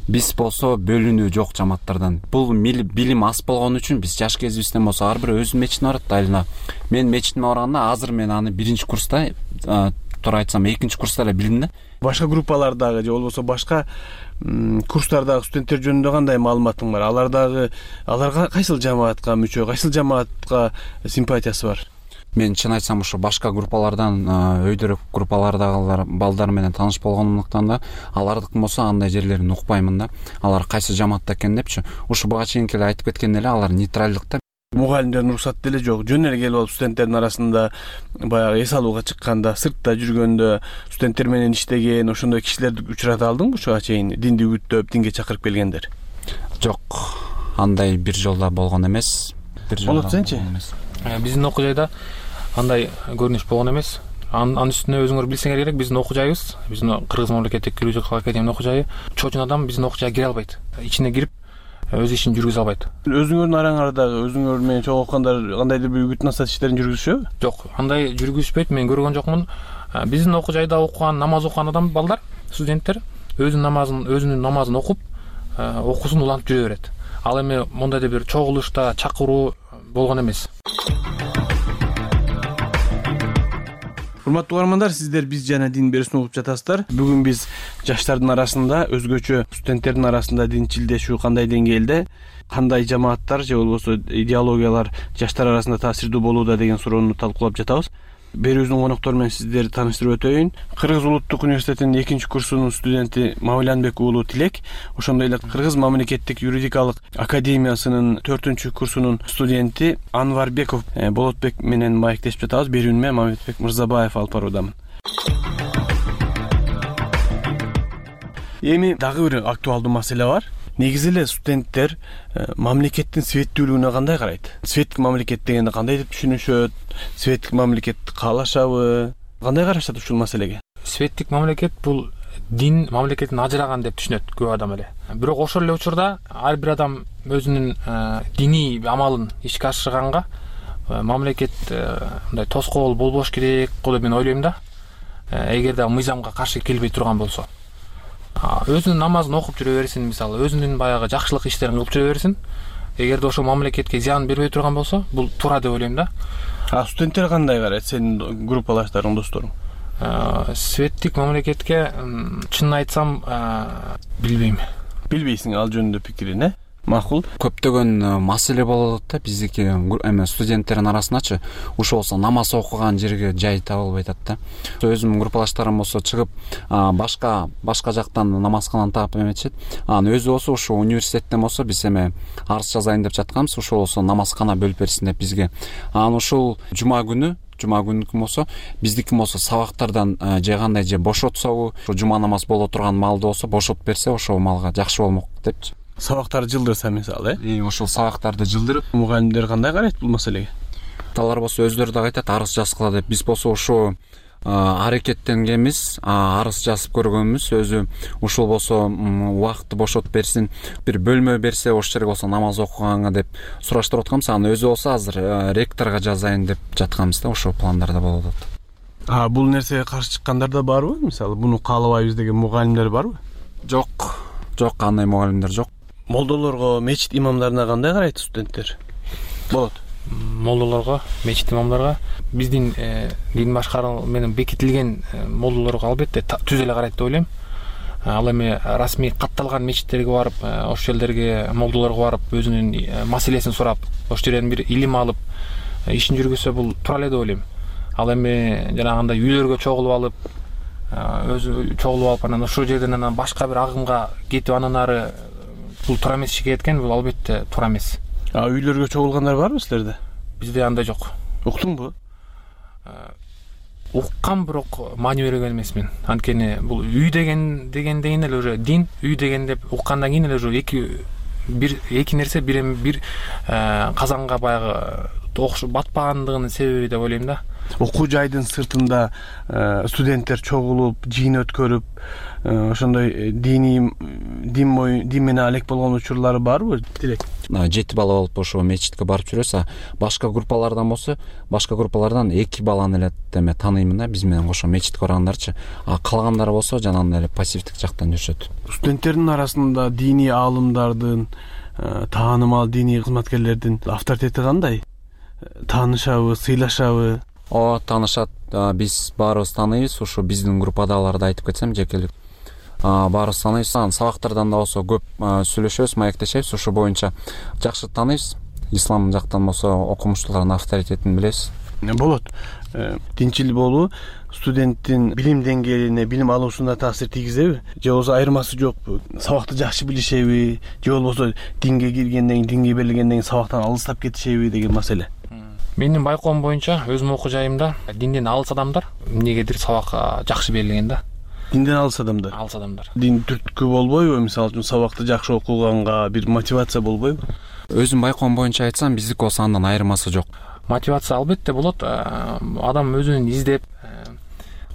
биз болсо бөлүнүү жок жамааттардан. Бул билим аз болгон үчүн биз жаш кезибизден болсо ар бир өзүнүн мечитине барат айылына. Мен мечитиме барганда азыр мен аны биринчи курста, туура айтсам экинчи курста эле билдим да. Башка группалардагы же болбосо башка курстардагы студенттер жөнүндө кандай маалыматың бар? Алар дагы аларга кайсыл жамаатка мүчө, кайсыл жамаатка симпатиясы бар? Мен чын айтсам ошо башка группалардан, өйдөрөк группалардагылар балдар менен тааныш болгондуктан да алардыкын болсо андай жерлерин укпаймын да. Алар кайсы жамаатта экен депчи. Ушу буга чейинки эле айтып кеткен эле, алар нейтралдыкта. мугалимдердин уруксаты деле жок. Жөн эле келип алып студенттердин арасында баягы эс алууга чыкканда, сыртта жүргөндө студенттер менен иштеген ошондой кишилерди учурата алдыңбы ушуга чейин? Динди үгүттөп, динге чакырып келгендер. Жок, андай бир жолда болгон эмес. Бир жолда. Болот сенчи? Биздин окуу жайда андай көрүнүш болгон эмес. Анын үстүнө өзүңөр билсеңер керек, биздин окуу жайыбыз, биздин Кыргыз мамлекеттик юридикалык академиянын окуу жайы, чочун адам биздин окуу жайга кире албайт. Ичине кирип өз ишин жүргүзө албайт. Өзүңөрдүн араңардагы өзүңөр менен чогуу окугандар кандайдыр бир үгүт насаат иштерин жүргүзүшөбү? Жок, андай жүргүзбөйт, мен көргөн жокмун. Биздин окуу жайда окуган, намаз окуган адам балдар, студенттер өзүнүн намазын, өзүнүн намазын окуп, окуусун улантып жүрө берет. Ал эми мондай да бир чогулушта чакыруу болгон эмес. Урматтуу угармандар, сиздер биз жана дин берүүсүн угуп жатасыздар. Бүгүн биз жаштардын арасында, өзгөчө студенттердин арасында динчилдешүү кандай деңгээлде, кандай жамааттар же болбосо идеологиялар жаштар арасында таасирдүү болууда деген суроону талкуулап жатабыз. Берүүбүздүн коноктору менен сиздерди тааныштырып өтөйүн. Кыргыз улуттук университетинин экинчи курсунун студенти Мавлянбек уулу Тилек, ошондой эле Кыргыз мамлекеттик юридикалык академиясынын төртүнчү курсунун студенти Анварбеков Болотбек менен маектешип жатабыз. Берүүнү мен Мамедбек Мырзабаев алып баруудамын. Эми дагы бир актуалдуу маселе бар. Негизи эле студенттер мамлекеттин светтүүлүгүнө кандай карайт? Светтик мамлекет дегенди кандай деп түшүнүшөт? Светтик мамлекетти каалашабы? Кандай карашат ушул маселеге? Светтик мамлекет бул дин мамлекеттин ажыраган деп түшүнөт көп адам эле. Бирок ошол эле учурда ар бир адам өзүнүн диний амалын ишке ашырганга мамлекет мындай тоскоол болбош керек го деп мен ойлойм да. Эгерде мыйзамга каршы келбей турган болсо. Өзүнүн намазын окуп жүрө берсин, мисалы, өзүнүн баягы жакшылык иштерин кылып жүрө берсин. Эгерде ошо мамлекетке зыян бербей турган болсо, бул туура деп ойлойм да. А студенттер кандай карайт, сенин группалаштарың, досторуң? Светтик мамлекетке чынын айтсам, билбейм. Билбейсиң ал жөнүндө пикирин, э? Макул. Көптөгөн маселе болот да биздики эме студенттердин арасындачы. Ушул болсо намаз окуган жерге жай табылбай атат да. Өзүмдүн группалаштарым болсо чыгып башка башка жактан намазкананы таап эметишет. Анан өзү болсо ушул университеттен болсо биз эме арыз жазайын деп жатканбыз. Ушул болсо намазкана бөлүп берсин деп бизге. Анан ушул жума күнү жума күнүкү болсо биздики болсо сабактардан же кандай же бошотсобу, ушу жума намаз боло турган маалда болсо бошотуп берсе ошол малга жакшы болмок депчи. Сабактарды жылдырса мисалы, э? Ошол сабактарды жылдырып, мугалимдер кандай карайт бул маселеге? Алар болсо өздөрү да айтат, арыз жазгыла деп. Биз болсо ошо аракеттенгенбиз, арыз жазып көргөнбүз. Өзү ушул болсо убакытты бошотуп берсин, бир бөлмө берсе ошол жерге болсо намаз окуганга деп сураштырып атканбыз. Анан өзү болсо азыр ректорго жазайын деп жатканбыз да, ошол пландарда болуп атат. А бул нерсеге каршы чыккандар да барбы? Мисалы, буну каалабайбыз деген мугалимдер барбы? Жок. Жок, андай мугалимдер жок. Молдолорго, мечит имамдарына кандай карайт студенттер? Болот. Молдолорго, мечит имамдарга биздин дин башкаруу менен бекитилген молдолорго албетте түз эле карайт деп ойлойм. Ал эми расмий катталган мечиттерге барып, ошол жерлерге молдолорго барып, өзүнүн маселесин сурап, ошол жерден бир илим алып, ишин жүргүзсө бул туура эле деп ойлойм. Ал эми жанагындай үйлөргө чогулуп алып, өзү чогулуп алып, анан ошол жерден анан башка бир агымга кетип, анан ары бул туура эмес ишке кеткен, бул албетте туура эмес. А үйлөргө чогулгандар барбы силерде? Бизде андай жок. Уктуңбу? Уккам, бирок маани берген эмесмин. Анткени бул үй деген дегенден эле уже дин, үй деген деп уккандан кийин эле уже эки бир эки нерсе бир бир казанга баягы окшоп батпагандыгынын себеби деп ойлойм да. Окуу жайдын сыртында студенттер чогулуп, жыйын өткөрүп, ошондой диний дин бою дин менен алек болгон учурлары барбы? Тилек. Жети бала болуп ошо мечитке барып жүрөбүз, а башка группалардан болсо, башка группалардан эки баланы эле эме тааныймын да, биз менен кошо мечитке баргандарчы. А калгандары болсо жанагындай эле пассивдик жактан жүрүшөт. Студенттердин арасында диний аалымдардын, таанымал диний кызматкерлердин авторитети кандай? Таанышабы, сыйлашабы? О, таанышат. Биз баарыбыз тааныйбыз. Ушу биздин группадагыларды айтып кетсем, жекелик. Баарыбыз тааныйбыз. Сабактардан да болсо көп сүйлөшөбүз, маектешебиз. Ушу боюнча жакшы тааныйбыз. Ислам жактан болсо окумуштуулардын авторитетин билебиз. Болот. Динчил болуу студенттин билим деңгээлине, билим алуусуна таасир тийгизеби, же болбосо айырмасы жокпу? Сабакты жакшы билишеби, же болбосо динге киргенден кийин, динге берилгенден кийин сабактан алыстап кетишеби деген маселе. Менин байкоом боюнча өзүмдүн окуу жайымда динден алыс адамдар эмнегедир сабак жакшы берилген да. Динден алыс адамдар. Алыс адамдар. Дин түрткү болбойбу? Мисалы үчүн сабакты жакшы окуганга бир мотивация болбойбу? Өзүм байкоом боюнча айтсам, биздики болсо андан айырмасы жок. Мотивация албетте болот. Адам өзүн издеп,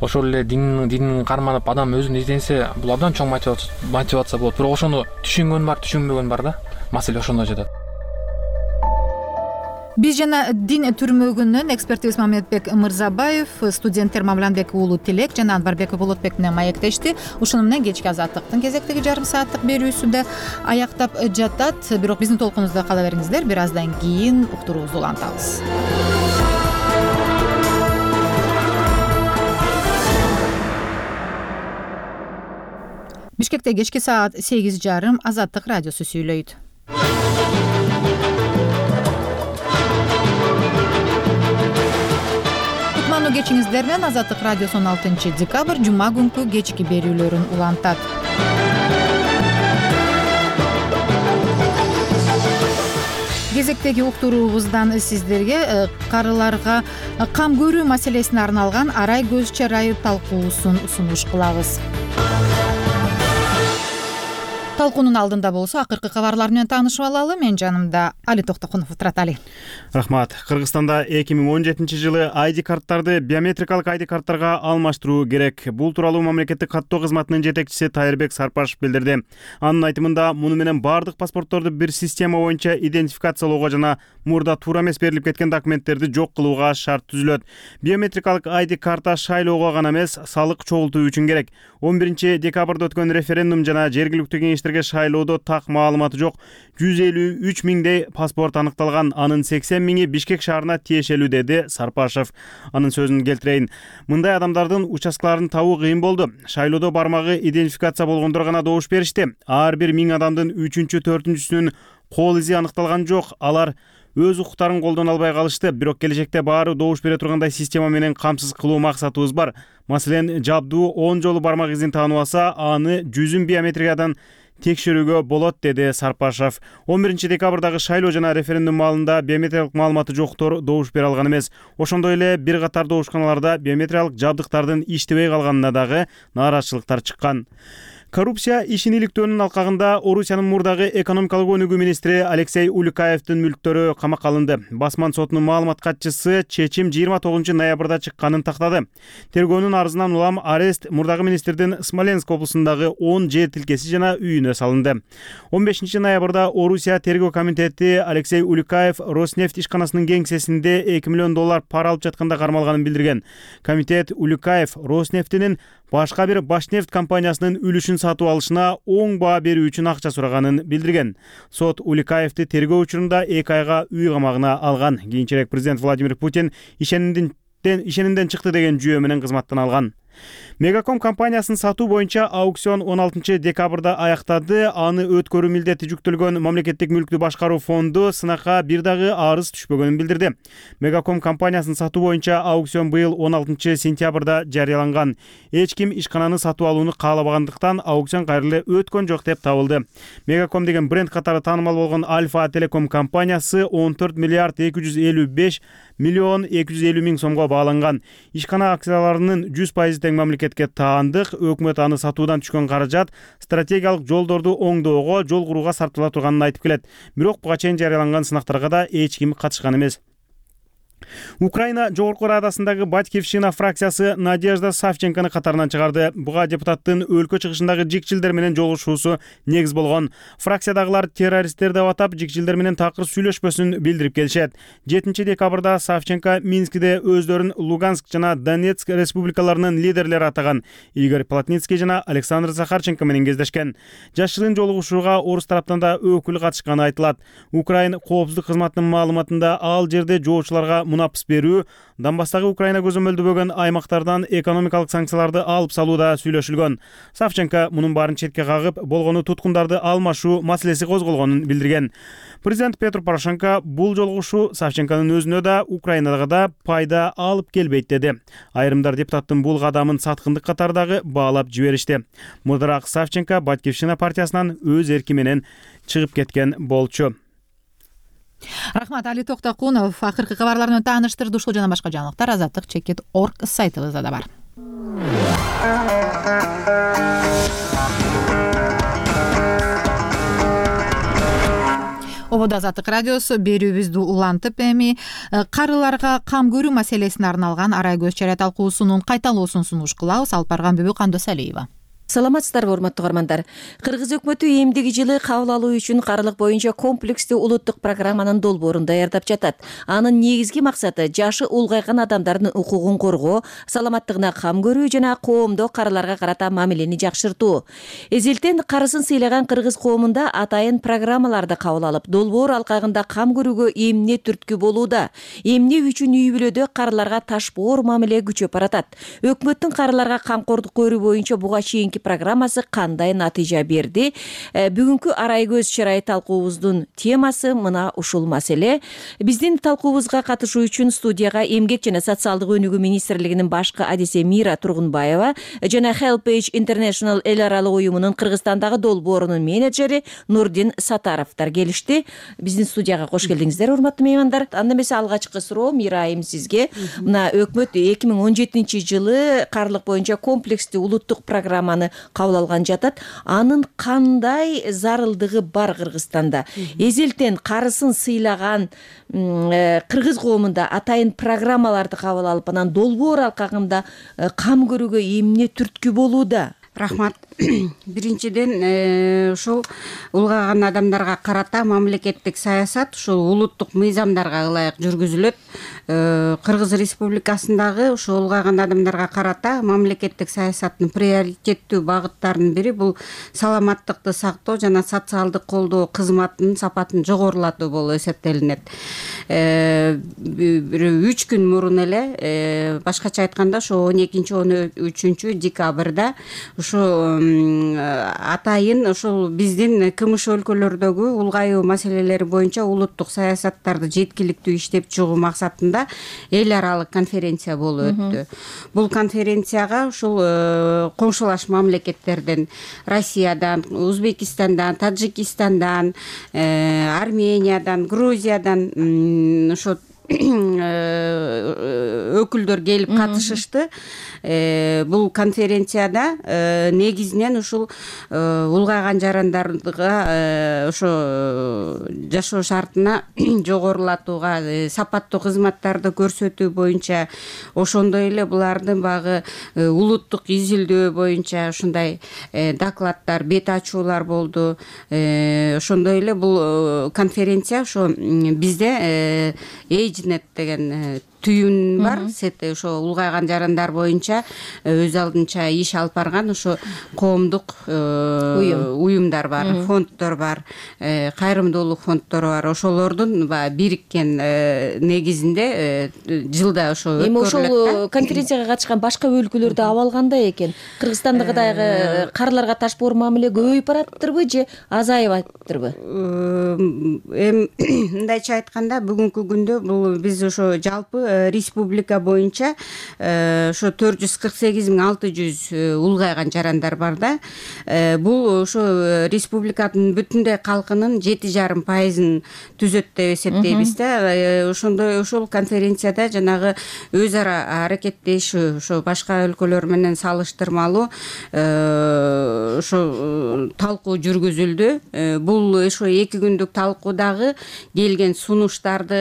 ошол эле дин динин карманып адам өзүн изденсе, бул абдан чоң мотивация болот. Бирок ошону түшүнгөн бар, түшүнбөгөн бар да. Маселе ошондо жатат. Биз жана дин түрмөгүнөн экспертибиз Мамедбек Мырзабаев, студенттер Мамланбек уулу Тилек жана Анбарбек Болотбек менен маектешти. Ушуну менен кечки азаттыктын кезектеги жарым сааттык берүүсү да аяктап жатат. Бирок биздин толкунубузда кала бериңиздер. Бир аздан кийин уктуруубузду улантабыз. Бишкекте кечки саат сегиз жарым Азаттык радиосу сүйлөйт. Кечиңиздер менен Азаттык радиосу он алтынчы декабрь жума күнкү кечки берүүлөрүн улантат. Кезектеги уктуруубуздан сиздерге карыларга кам көрүү маселесине арналган арай көз чарайы талкуусун сунуш кылабыз. Талкуунун алдында болсо акыркы кабарлар менен таанышып алалы. Мен жанымда Али Токтокунов турат. Али. Рахмат. Кыргызстанда эки миң он жетинчи жылы ай ди карттарды биометрикалык ай ди карттарга алмаштыруу керек. Бул тууралуу мамлекеттик каттоо кызматынын жетекчиси Тайырбек Сарпашев билдирди. Анын айтымында, муну менен бардык паспортторду бир система боюнча идентификациялоого жана мурда туура эмес берилип кеткен документтерди жок кылууга шарт түзүлөт. Биометрикалык ай ди карта шайлоого гана эмес, салык чогултуу үчүн керек. он биринчи декабрда өткөн референдум жана жергиликтүү кеңештерге шайлоодо так маалыматы жок жүз элүү үч миңдей паспорт аныкталган. Анын сексен миңи Бишкек шаарына тиешелүү, деди Сарпашев. Анын сөзүн келтирейин. Мындай адамдардын участкаларын табуу кыйын болду. Шайлоодо бармагы идентификация болгондор гана добуш беришти. Ар бир миң адамдын үчүнчү, төртүнчүсүнүн кол изи аныкталган жок. Алар өз укуктарын колдоно албай калышты. Бирок келечекте баары добуш бере тургандай система менен камсыз кылуу максатыбыз бар. Маселен, жабдуу он жолу бармак изин таанып алса, аны жүзүн биометриядан текшерүүгө болот, деди Сарпашев. он биринчи декабрдагы шайлоо жана референдум маалында биометриялык маалыматы жоктор добуш бере алган эмес. Ошондой эле бир катар добушканаларда биометриялык жабдыктардын иштебей калганына дагы нааразычылыктар чыккан. Коррупция ишин иликтөөнүн алкагында Орусиянын мурдагы экономикалык өнүгүү министри Алексей Улюкаевдин мүлктөрү камакка алынды. Басман сотунун маалымат катчысы чечим жыйырма тогузунчу ноябрда чыкканын тактады. Тергөөнүн арызынан улам арест мурдагы министрдин Смоленск облусундагы он жер тилкеси жана үйүнө салынды. он бешинчи ноябрда Орусия тергөө комитети Алексей Улюкаев Роснефть ишканасынын кеңсесинде эки миллион доллар пара алып жатканда кармалганын билдирген. Комитет Улюкаев Роснефтинин башка бир Башнефть компаниясынын үлүшүн сатып алышына оң баа берүү үчүн акча сураганын билдирген. Сот Улюкаевди тергөө учурунда эки айга үй камагына алган. Кийинчерээк президент Владимир Путин ишенинден ишенинден чыкты деген жүйө менен кызматтан алган. Мегаком компаниясын сатуу боюнча аукцион он алтынчы декабрда аяктады. Аны өткөрүү милдети жүктөлгөн мамлекеттик мүлктү башкаруу фонду сынакка бир дагы арыз түшпөгөнүн билдирди. Мегаком компаниясын сатуу боюнча аукцион быйыл он алтынчы сентябрда жарыяланган. Эч ким ишкананы сатып алууну каалабагандыктан аукцион кайрылы өткөн жок деп табылды. Мегаком деген бренд катары таанымал болгон Альфа Телеком компаниясы он төрт миллиард эки жүз элүү беш миллион эки жүз элүү миң сомго бааланган. Ишкана акцияларынын жүз пайыз тең мамлекетке таандык. Өкмөт аны сатуудан түшкөн каражат стратегиялык жолдорду оңдоого, жол курууга сарптала турганын айтып келет. Бирок буга чейин жарыяланган сынактарга да эч ким катышкан эмес. Украина Жогорку Радасындагы Батькивщина фракциясы Надежда Савченкону катарынан чыгарды. Буга депутаттын өлкө чыгышындагы жикчилдер менен жолугушуусу негиз болгон. Фракциядагылар террористтер деп атап, жикчилдер менен такыр сүйлөшпөсүн билдирип келишет. жетинчи декабрда Савченко Минскиде өздөрүн Луганск жана Донецк республикаларынын лидерлери атаган Игорь Плотницкий жана Александр Захарченко менен кездешкен. Жаш жылын жолугушууга орус тараптан да өкүл катышканы айтылат. Украина коопсуздук кызматынын маалыматында ал жерде жоочуларга мунапыс берүү, Донбасстагы Украина көзөмөлдөбөгөн аймактардан экономикалык санкцияларды алып салууда сүйлөшүлгөн. Савченко мунун баарын четке кагып, болгону туткундарды алмашуу маселеси козголгонун билдирген. Президент Петр Порошенко бул жолугушуу Савченконун өзүнө да, Украинага да пайда алып келбейт деди. Айрымдар депутаттын бул кадамын саткындык катардагы баалап жиберишти. Мурдараак Савченко Батьковщина партиясынан өз эрки менен чыгып кеткен болчу. Рахмат, Али Токтокунов акыркы кабарларын тааныштырды. Ушул жана башка жаңылыктар азаттык чекит точка орг сайтыбызда да бар. Ободо Азаттык радиосу берүүбүздү улантып, эми карыларга кам көрүү маселесине арналган арай көз чарай талкуусунун кайталоосун сунуш кылабыз. Алып барган Бүбү Кандосалиева. Саламатсыздарбы, урматтуу угармандар. Кыргыз өкмөтү эмдиги жылы кабыл алуу үчүн карылык боюнча комплекстүү улуттук программанын долбоорун даярдап жатат. Анын негизги максаты жашы улгайган адамдардын укугун коргоо, саламаттыгына кам көрүү жана коомдо карыларга карата мамилени жакшыртуу. Эзелтен карысын сыйлаган кыргыз коомунда атайын программаларды кабыл алып, долбоор алкагында кам көрүүгө эмне түрткү болууда. Эмне үчүн үй бүлөдө карыларга ташбоор мамиле күчөп баратат. Өкмөттүн карыларга камкордук көрүү боюнча буга чейинки программасы кандай натыйжа берди? Бүгүнкү арай көз чарай талкуубуздун темасы мына ушул маселе. Биздин талкуубузга катышуу үчүн студияга Эмгек жана социалдык өнүгүү министрлигинин башкы адиси Мира Тургунбаева жана Helpage International эл аралык уюмунун Кыргызстандагы долбоорунун менеджери Нурдин Сатаровдор келишти. Биздин студияга кош келдиңиздер, урматтуу меймандар. Анда эмесе алгачкы суроо Мира айым сизге. Мына өкмөт эки миң он жетинчи жылы карылык боюнча комплекстүү улуттук программаны кабыл алган жатат. Анын кандай зарылдыгы бар Кыргызстанда? Эзелтен карысын сыйлаган кыргыз коомунда атайын программаларды кабыл алып, анан долбоор алкагында кам көрүүгө эмне түрткү болууда? Рахмат. Биринчиден ушул улгайган адамдарга карата мамлекеттик саясат ушул улуттук мыйзамдарга ылайык жүргүзүлөт. Кыргыз Республикасындагы ушул улгайган адамдарга карата мамлекеттик саясаттын приоритеттүү багыттарынын бири бул саламаттыкты сактоо жана социалдык колдоо кызматынын сапатын жогорулатуу болуп эсептелинет. Үч күн мурун эле, башкача айтканда, ошо он экинчи он үчүнчү декабрда ушу атайын ушул биздин КМШ өлкөлөрдөгү улгайуу маселелери боюнча улуттук саясаттарды жеткиликтүү иштеп чыгуу максатында эл аралык конференция болуп өттү. Бул конференцияга ушул коңшулаш мамлекеттерден, Россиядан, Узбекистандан, Таджикистандан, Армениядан, Грузиядан ошо өкүлдөр келип катышышты. Бул конференцияда негизинен ушул улгайган жарандарга ошо жашоо шартына жогорулатууга, сапаттуу кызматтарды көрсөтүү боюнча, ошондой эле булардын багы улуттук изилдөө боюнча ушундай докладдар, бет ачуулар болду. Ошондой эле бул конференция ошо бизде Эйжнет деген түйүн бар, сет ошо улгайган жарандар боюнча өз алдынча иш алып барган ошо коомдук уюмдар бар, фонддор бар, кайрымдуулук фонддору бар. Ошолордун бириккен негизинде жылда ошо өткөрүлөт. Эми ошол конференцияга катышкан башка өлкөлөрдө абал кандай экен? Кыргызстандагы карыларга ташбоор мамиле көбөйүп бараттырбы же азайып аттырбы? Эми мындайча айтканда, бүгүнкү күндө бул биз ошо жалпы республика боюнча ошо төрт жүз кырк сегиз миң алты жүз улгайган жарандар бар да. Бул ошо республиканын бүтүндөй калкынын жети жарым пайызын түзөт деп эсептейбиз да. Ошондой ошол конференцияда жанагы өз ара аракеттешүү ошо башка өлкөлөр менен салыштырмалуу ошо талкуу жүргүзүлдү. Бул ошо эки күндүк талкуудагы келген сунуштарды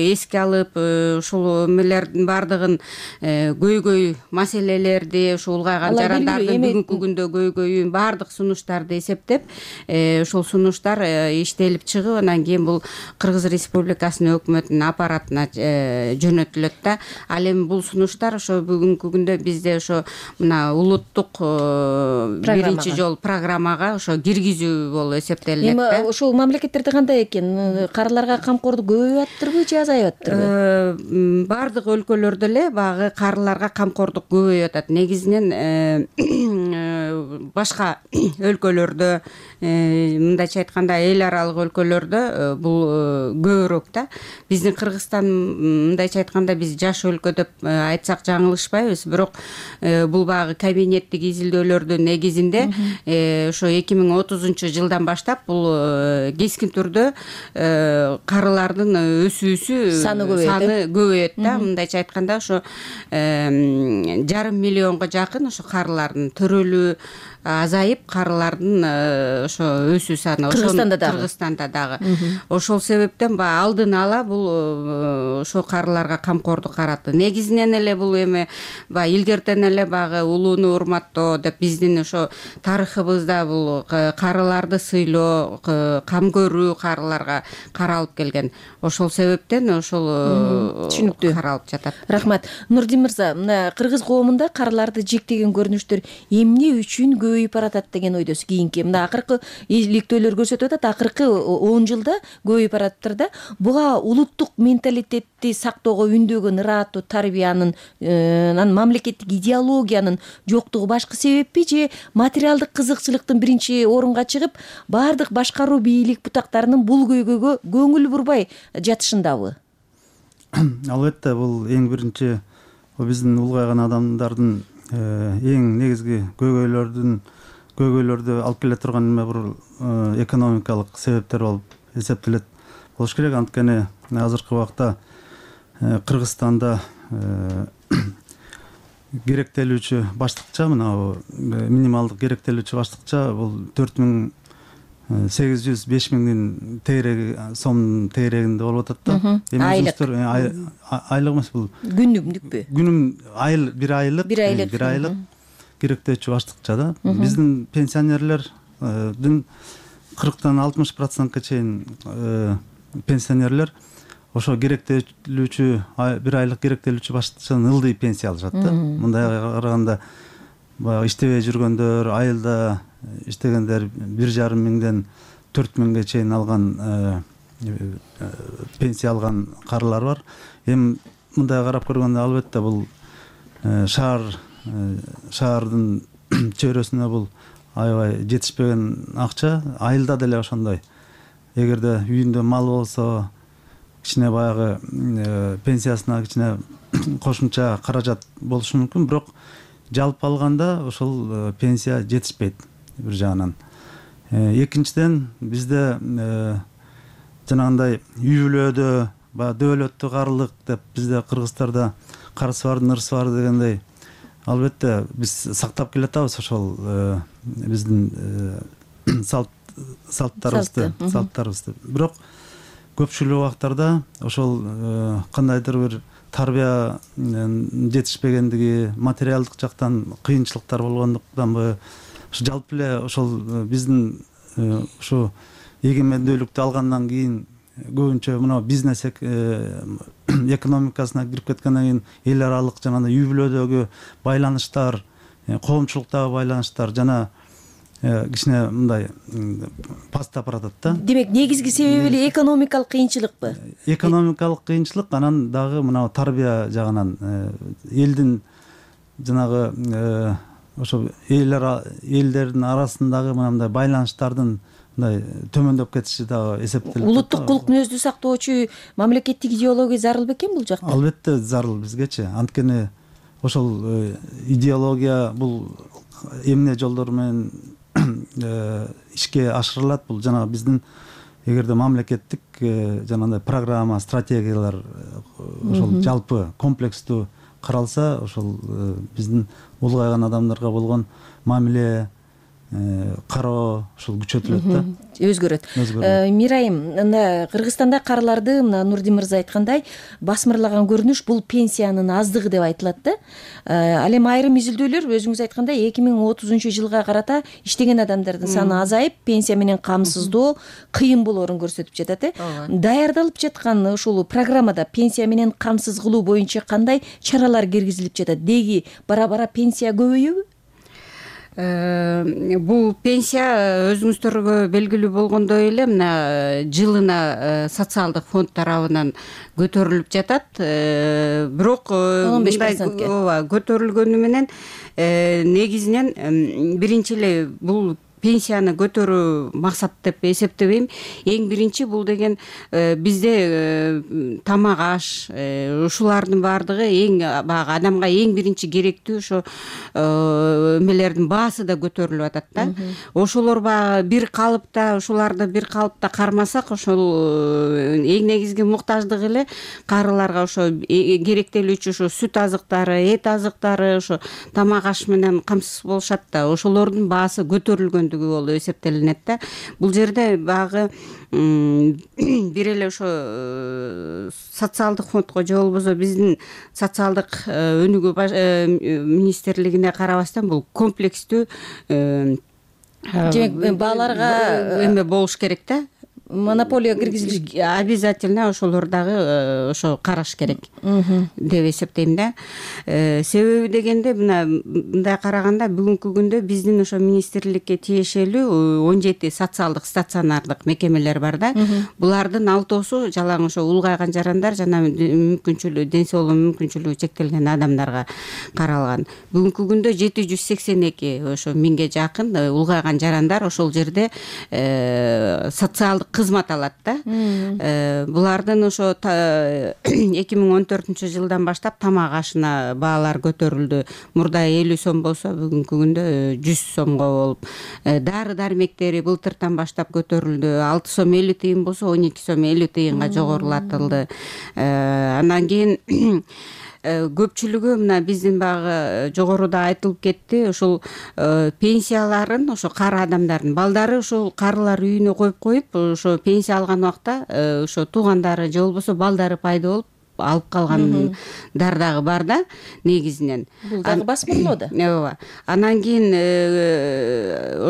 эске алып, ушул ошол эмелердин баардыгын көйгөй маселелерди ушу улгайган жарандардын бүгүнкү күндө көйгөйүн баардык сунуштарды эсептеп ошол сунуштар иштелип чыгып анан кийин бул Кыргыз Республикасынын өкмөтүнүн аппаратына жөнөтүлөт да. Ал эми бул сунуштар ошо бүгүнкү күндө бизде ошо мына улуттук биринчи жолу программага ошо киргизүү болуп эсептелинет да. Эми ошол мамлекеттерде кандай экен? Карыларга камкордук көбөйүп атыптырбы же азайып атыптырбы? Баардык өлкөлөрдө эле баягы карыларга камкордук көбөйүп атат. Негизинен башка өлкөлөрдө, мындайча айтканда эл аралык өлкөлөрдө бул көбүрөөк да. Биздин Кыргызстан мындайча айтканда биз жаш өлкө деп айтсак жаңылышпайбыз. Бирок бул баягы кабинеттик изилдөөлөрдүн негизинде ошо эки миң отузунчу жылдан баштап бул кескин түрдө карылардын өсүүсү саны көбөйөт да. Мындайча айтканда ошо жарым миллионго жакын ошо карылардын төрөлүү азайып, карылардын ошо өсүү саны Кыргызстанда дагы Кыргызстанда дагы ошол себептен баягы алдын ала бул ошо карыларга камкордук каратты. Негизинен эле бул эми баягы илгертен эле баягы улууну урматтоо деп биздин ошо тарыхыбызда бул карыларды сыйлоо, кам көрүү карыларга каралып келген. Ошол себептен ошол түшүнүктүү каралып жатат. Рахмат. Нурдин мырза, мына кыргыз коомунда карыларды жектеген көрүнүштөр эмне үчүн көбөйүп баратат деген ойдосуз? Кийинки мына акыркы иликтөөлөр көрсөтүп атат, акыркы он жылда көбөйүп бараттыр да. Буга улуттук менталитетти сактоого үндөгөн ырааттуу тарбиянын, анан мамлекеттик идеологиянын жоктугу башкы себеппи же материалдык кызыкчылыктын биринчи орунга чыгып, баардык башкаруу бийлик бутактарынын бул көйгөйгө көңүл бурбай жатышындабы? Албетте, бул эң биринчи биздин улгайган адамдардын эң негизги көйгөйлөрдүн көйгөйлөрдү алып келе турган эме бул экономикалык себептер болуп эсептелет болуш керек. Анткени азыркы убакта Кыргызстанда керектелүүчү баштыкча мына минималдык керектелүүчү баштыкча бул төрт миң сегиз жүз беш миңдин тегереги сомдун тегерегинде болуп атат да. Айлык айлык эмес, бул күнүмдүкпү? Күнүм айыл бир айлык бир айлык бир айлык керектөөчү баштыкча да. Биздин пенсионерлердин кырктан алтымыш процентке чейин пенсионерлер ошо керектелүүчү бир айлык керектелүүчү баштыкчадан ылдый пенсия алышат да. Мындай караганда баягы иштебей жүргөндөр, айылда иштегендер бир жарым миңден төрт миңге чейин алган пенсия алган карылар бар. Эми мындай карап көргөндө албетте бул шаар шаардын чөйрөсүнө бул аябай жетишпеген акча. Айылда деле ошондой. Эгерде үйүндө мал болсо, кичине баягы пенсиясына кичине кошумча каражат болушу мүмкүн, бирок жалпы алганда ошол пенсия жетишпейт бир жагынан. Экинчиден бизде жанагындай үй бүлөдө баягы дөөлөттүү карылык деп бизде кыргыздарда карысы бардын ырысы бар дегендей, албетте биз сактап келатабыз ошол биздин салт салттарыбызды салттарыбызды. Бирок көпчүлүк убактарда ошол кандайдыр бир тарбия жетишпегендиги, материалдык жактан кыйынчылыктар болгондуктанбы, жалпы эле ошол биздин ушу эгемендүүлүктү алгандан кийин көбүнчө мына бизнес экономикасына кирип кеткенден кийин эл аралык жана үй бүлөдөгү байланыштар, коомчулуктагы байланыштар жана кичине мындай пастап баратат да. Демек, негизги себеби эле экономикалык кыйынчылыкпы? Экономикалык кыйынчылык, анан дагы мына тарбия жагынан элдин жанагы ошо элдердин арасындагы мындай байланыштардын мындай төмөндөп кетиши дагы эсептелет. Улуттук кулк мүнөздү сактоочу мамлекеттик идеология зарыл бекен бул жакта? Албетте зарыл бизгечи. Анткени ошол идеология бул эмне жолдор менен ишке ашырылат, бул жана биздин эгерде мамлекеттик жанагындай программа, стратегиялар ошол жалпы комплекстүү каралса, ошол биздин улгайган адамдарга болгон мамиле, кароо ушул күчөтүлөт да, өзгөрөт. Мирайым, мына Кыргызстанда карыларды мына Нурдин мырза айткандай басмырлаган көрүнүш бул пенсиянын аздыгы деп айтылат да. Ал эми айрым изилдөөлөр өзүңүз айткандай эки миң отузунчу жылга карата иштеген адамдардын саны азайып, пенсия менен камсыздоо кыйын болоорун көрсөтүп жатат э. Даярдалып жаткан ушул программада пенсия менен камсыз кылуу боюнча кандай чаралар киргизилип жатат? Деги бара-бара пенсия көбөйөбү? Бул пенсия өзүңүздөргө белгилүү болгондой эле мына жылына социалдык фонд тарабынан көтөрүлүп жатат. Бирок мындай ооба көтөрүлгөнү менен негизинен биринчи эле бул пенсияны көтөрүү максат деп эсептебейм. Эң биринчи бул деген бизде тамак аш ушулардын баардыгы эң баягы адамга эң биринчи керектүү ошо эмелердин баасы да көтөрүлүп атат да. Ошолор баягы бир калыпта ушуларды бир калыпта кармасак, ошол эң негизги муктаждык эле карыларга ошо керектелүүчү ошо сүт азыктары, эт азыктары, ошо тамак аш менен камсыз болушат да. Ошолордун баасы көтөрүлгөн болуп эсептелинет да. Бул жерде багы бир эле ошо социалдык фондко же болбосо биздин социалдык өнүгүү министрлигине карабастан бул комплекстүү бааларга эме болуш керек да. Монополия киргизилиш обязательно ошолор дагы ошо караш керек деп эсептейм да. Себеби дегенде мына мындай караганда бүгүнкү күндө биздин ошо министрликке тиешелүү он жети социалдык стационардык мекемелер бар да. Булардын алтоосу жалаң ошо улгайган жарандар жана мүмкүнчүлүгү ден соолугу мүмкүнчүлүгү чектелген адамдарга каралган. Бүгүнкү күндө жети жүз сексен эки ошо миңге жакын улгайган жарандар ошол жерде социалдык кызмат алат да. Булардын ошо эки миң он төртүнчү жылдан баштап тамак ашына баалар көтөрүлдү. Мурда элүү сом болсо бүгүнкү күндө жүз сомго болуп, дары дармектери былтыртан баштап көтөрүлдү. алты сом элүү тыйын болсо он эки сом элүү тыйынга жогорулатылды. Андан кийин көпчүлүгү мына биздин баягы жогоруда айтылып кетти, ушул пенсияларын ошо кары адамдардын балдары ушул карылар үйүнө коюп коюп ошо пенсия алган убакта ошо туугандары же болбосо балдары пайда болуп алып калгандар дагы бар да негизинен. Бул дагы басмырлоо да. Ооба. Андан кийин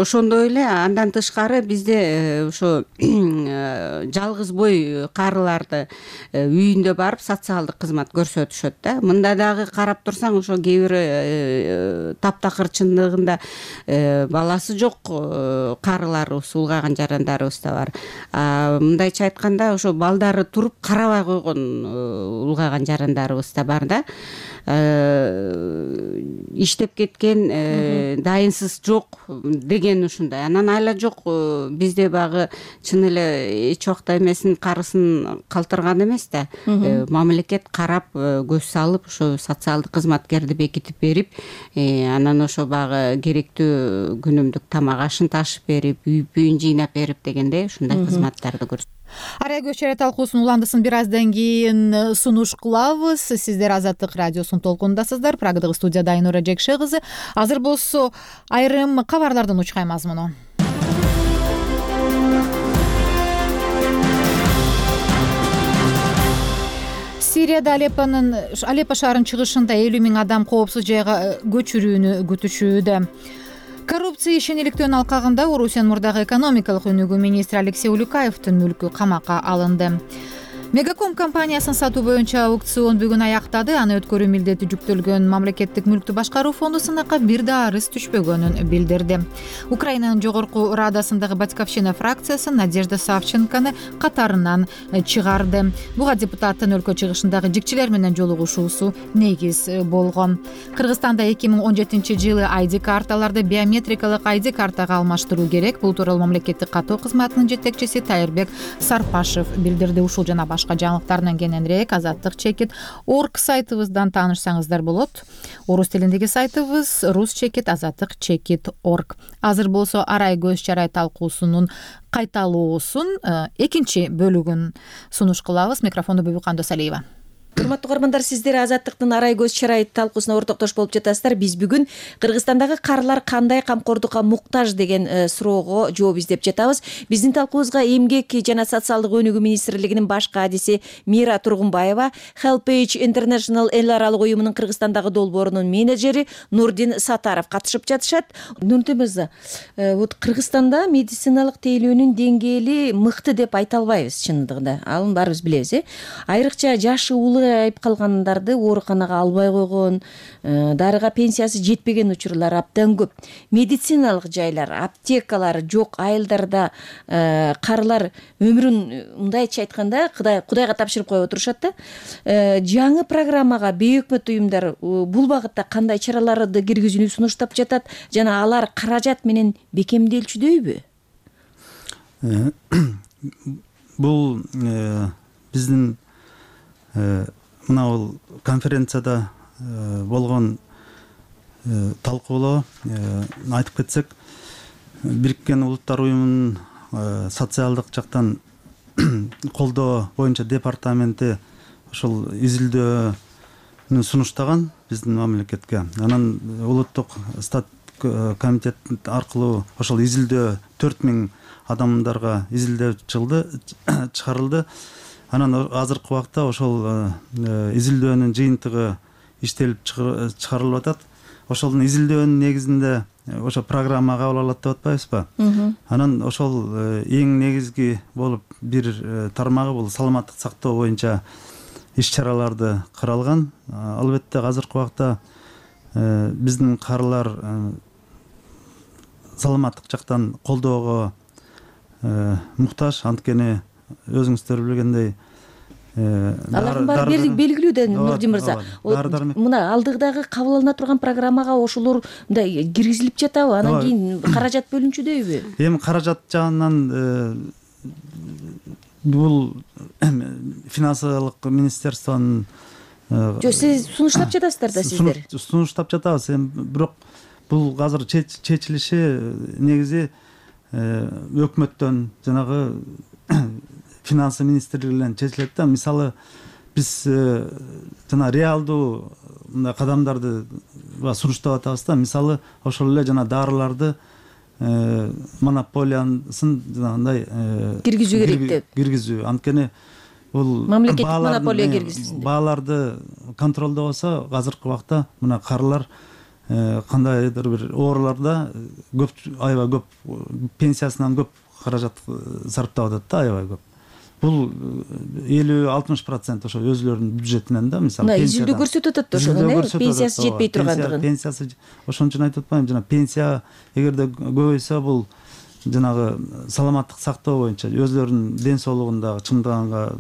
ошондой эле андан тышкары бизде ошо жалгыз бой карыларды үйүндө барып социалдык кызмат көрсөтүшөт да. Мында дагы карап турсаң ошо кээ бир таптакыр чындыгында баласы жок карыларыбыз, улгайган жарандарыбыз да бар. Мындайча айтканда ошо балдары туруп карабай койгон улгайган жарандарыбыз да бар да. Иштеп кеткен, дайынсыз жок деген ушундай. Анан айла жок бизде багы чын эле эч убакта эмесин карысын калтырган эмес да. Мамлекет карап, көз салып, ошо социалдык кызматкерди бекитип берип, анан ошо багы керектүү күнүмдүк тамак ашын ташып берип, үй бүйүн жыйнап берип дегендей ушундай кызматтарды көрсөтөт. Арай көч чарай талкуусунун уландысын бир аздан кийин сунуш кылабыз. Сиздер Азаттык радиосунун толкунундасыздар. Прагадагы студияда Айнура Жекше кызы. Азыр болсо айрым кабарлардын учкай мазмуну. Сирияда Алеппонун Алеппо шаарынын чыгышында элүү миң адам коопсуз жайга көчүрүүнү күтүшүүдө. Коррупция ишениликтөөнүн алкагында Орусиянын мурдагы экономикалык өнүгүү министри Алексей Улюкаевдин мүлкү камакка алынды. Мегаком компаниясын сатуу боюнча аукцион бүгүн аяктады. Аны өткөрүү милдети жүктөлгөн мамлекеттик мүлктү башкаруу фонду сынакка бир да арыз түшпөгөнүн билдирди. Украинанын жогорку радасындагы Батьковщина фракциясы Надежда Савченкону катарынан чыгарды. Буга депутаттын өлкө чыгышындагы жикчилер менен жолугушуусу негиз болгон. Кыргызстанда эки миң он жетинчи жылы ай ди карталарды биометрикалык ай ди картага алмаштыруу керек. Бул тууралуу мамлекеттик каттоо кызматынын жетекчиси Тайырбек Сарпашев билдирди. Ушул жана башка жаңылыктардан кененирээк азаттык чекит орг сайтыбыздан таанышсаңыздар болот. Орус тилиндеги сайтыбыз рус чекит азаттык чекит орг. Азыр болсо Арай көз чарай талкуусунун кайталоосун экинчи бөлүгүн сунуш кылабыз. Микрофонду Бүбүкан Досалиева. урматтуу угармандар, сиздер Азаттыктын арай көз чарайы талкуусуна ортоктош болуп жатасыздар. Биз бүгүн Кыргызстандагы карылар кандай камкордукка муктаж деген суроого жооп издеп жатабыз. Биздин талкуубузга Эмгек жана социалдык өнүгүү министрлигинин баш кадиси Мира Тургунбаева, HelpAge International эл аралык уюмунун Кыргызстандагы долбоорунун менеджери Нурдин Сатаров катышып жатышат. Нурдин мырза, вот Кыргызстанда медициналык тейлөөнүн деңгээли мыкты деп айта албайбыз чындыгында. Аны баарыбыз билебиз, э? Айрыкча жашы улуу айып калгандарды ооруканага албай койгон, дарыга пенсиясы жетпеген учурлар абдан көп. Медициналык жайлар, аптекалар жок айылдарда карылар өмүрүн мындайча айтканда Кудайга тапшырып коюп отурушат да. Жаңы программага бейөкмөт уюмдар бул багытта кандай чараларды киргизүүнү сунуштап жатат жана алар каражат менен бекемделчүдөйбү? Бул биздин мына бул конференцияда болгон талкуулоо айтып кетсек, Бириккен Улуттар уюмунун социалдык жактан колдоо боюнча департаменти ошол изилдөөнү сунуштаган биздин мамлекетке. Анан улуттук стат комитет аркылуу ошол изилдөө төрт миң адамдарга изилдөө чыгарылды. Анан азыркы убакта ошол изилдөөнүн жыйынтыгы иштелип чыгарылып атат. Ошол изилдөөнүн негизинде ошо программа кабыл алат деп атпайбызбы? Анан ошол эң негизги болуп бир тармагы бул саламаттык сактоо боюнча иш-чараларды каралган. Албетте азыркы убакта биздин карылар саламаттык жактан колдоого муктаж, анткени өзүңүздөр билгендей алардын баары белгилүү да, Нурдин мырза. Мына алдыдагы кабыл алына турган программага ошолор мындай киргизилип жатабы? Анан кийин каражат бөлүнчүдөйбү? Эми каражат жагынан бул финансылык министерствонун жок, сиз сунуштап жатасыздар да, сиздер. Сунуштап жатабыз, эми бирок бул азыр чечилиши негизи өкмөттөн, жанагы финансы министрлигинен чечилет да. Мисалы биз жана реалдуу мындай кадамдарды сунуштап атабыз да. Мисалы ошол эле жана дарыларды монополиясын жанагындай киргизүү керек деп. Киргизүү, анткени бул мамлекеттик монополия киргизилсин деп. Бааларды контролдобосо азыркы убакта мына карылар кандайдыр бир ооруларда көп, аябай көп, пенсиясынан көп каражат сарптап атат да, аябай көп. Бул элүү алтымыш процент ошо өзүлөрүнүн бюджетинен да, мисалы изилдөө көрсөтүп атат ошону, пенсиясы жетпей тургандыгын. Пенсиясы ошон үчүн айтып атпаймынбы, жана пенсия эгерде көбөйсө бул жанагы саламаттык сактоо боюнча өзүлөрүнүн ден соолугунда чындыганга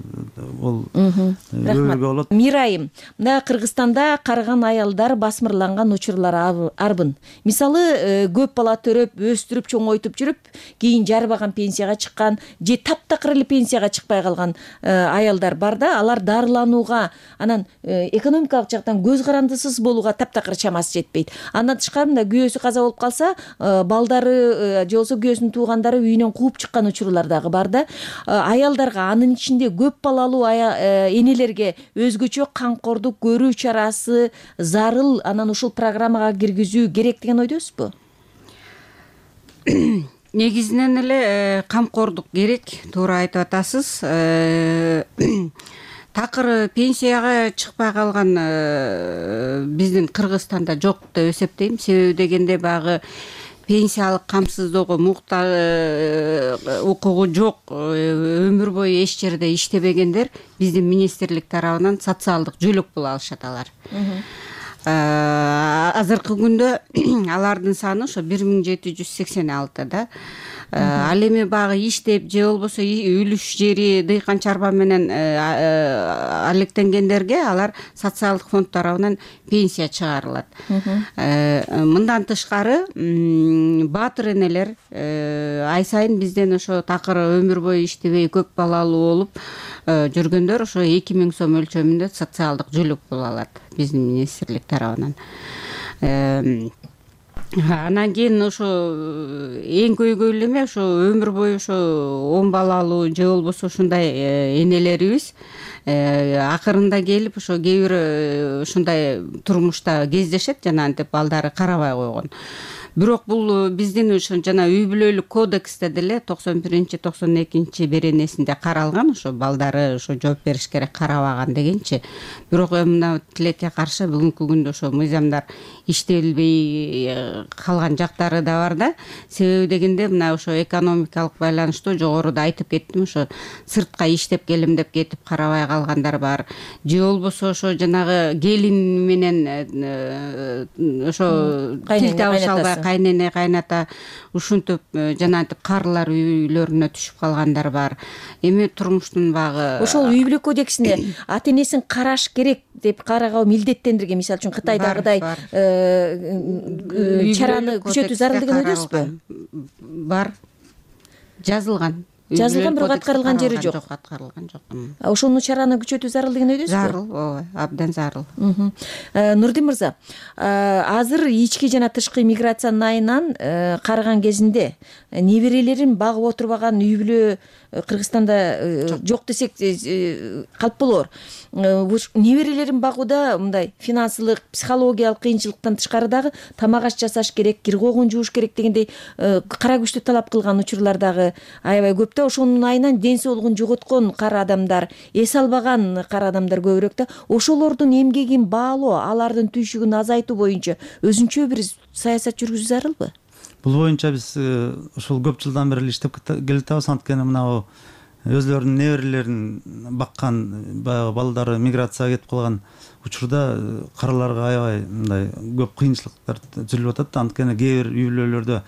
бул өбөлгө болот. Мирайым, мына Кыргызстанда карыган аялдар басмырланган учурлар арбын. Мисалы көп бала төрөп, өстүрүп, чоңойтуп жүрүп, кийин жарбаган пенсияга чыккан же таптакыр эле пенсияга чыкпай калган аялдар бар да, алар дарыланууга, анан экономикалык жактан көз карандысыз болууга таптакыр чамасы жетпейт. Андан тышкары мында күйөөсү каза болуп калса, балдары же болбосо күйөөсүнүн туугандары үйүнөн кууп чыккан учурлар дагы бар да. Аялдарга, анын ичинде көп балалуу энелерге өзгөчө камкордук көрүү чарасы зарыл, анан ушул программага киргизүү керек деген ойдосузбу? Негизинен эле камкордук керек, туура айтып атасыз. Такыр пенсияга чыкпай калган биздин Кыргызстанда жок деп эсептейм. Себеби дегенде багы пенсиялык камсыздоого муктаж укугу жок, өмүр бою эч жерде иштебегендер биздин министрлик тарабынан социалдык жөлөк боло алышат алар. Азыркы күндө алардын саны ошо бир миң жети жүз сексен алты да. Ал эми багы иштеп же болбосо үлүш жери дыйкан чарба менен алектенгендерге алар социалдык фонд тарабынан пенсия чыгарылат. Мындан тышкары баатыр энелер ай сайын бизден ошо такыр өмүр бою иштебей көп балалуу болуп жүргөндөр ошо эки миң сом өлчөмүндө социалдык жөлөк боло алат биздин министрлик тарабынан. Анан кийин ошо эң көйгөйлүү эме ошо өмүр бою ошо он балалуу же болбосо ушундай энелерибиз акырында келип ошо кээ бир ушундай турмушта кездешет жанагынтип балдары карабай койгон. Бирок бул биздин ошо жана үй бүлөлүк кодексте деле токсон биринчи токсон экинчи беренесинде каралган ошо балдары ошо жооп бериш керек карабаган дегенчи. Бирок мына тилекке каршы бүгүнкү күндө ошо мыйзамдар иштелбей калган жактары да бар да. Себеби дегенде мына ошо экономикалык байланыштуу жогоруда айтып кеттим, ошо сыртка иштеп келем деп кетип карабай калгандар бар. Же болбосо ошо жанагы келин менен ошо тил табыша албай кайнене кайната ушинтип жанагынтип карылар үйлөрүнө түшүп калгандар бар. Эми турмуштун багы ошол үй бүлө кодексинде ата энесин караш керек деп карагаа милдеттендирген. Мисалы үчүн Кытайдагыдай чараны күчөтүү зарылдыгын ойдойсузбу? Бар. Жазылган. Жазылган, бирок аткарылган жери жок. Аткарылган жок. Ошону чараны күчөтүү зарылдыгын ойдойсузбу? Зарыл, ооба, абдан зарыл. Нурдин мырза, азыр ички жана тышкы миграциянын айынан караган кезинде неберелерин багып отурбаган үй бүлө Кыргызстанда жок десек калп болор. Неберелерин багууда мындай финансылык, психологиялык кыйынчылыктан тышкары дагы тамак аш жасаш керек, кир когун жууш керек дегендей кара күчтү талап кылган учурлар дагы аябай көп да. Ошонун айынан ден соолугун жоготкон кара адамдар, эс албаган кара адамдар көбүрөөк да. Ошолордун эмгегин баалоо, алардын түйшүгүн азайтуу боюнча өзүнчө бир саясат жүргүзүү зарылбы? Бул боюнча биз ушул көп жылдан бери иштеп келатабыз. Анткени мына өзлөрүнүн неберелерин баккан баягы балдары миграцияга кетип калган учурда караларга аябай мындай көп кыйынчылыктар түзүлүп атат. Анткени кээ бир үй бүлөлөрдө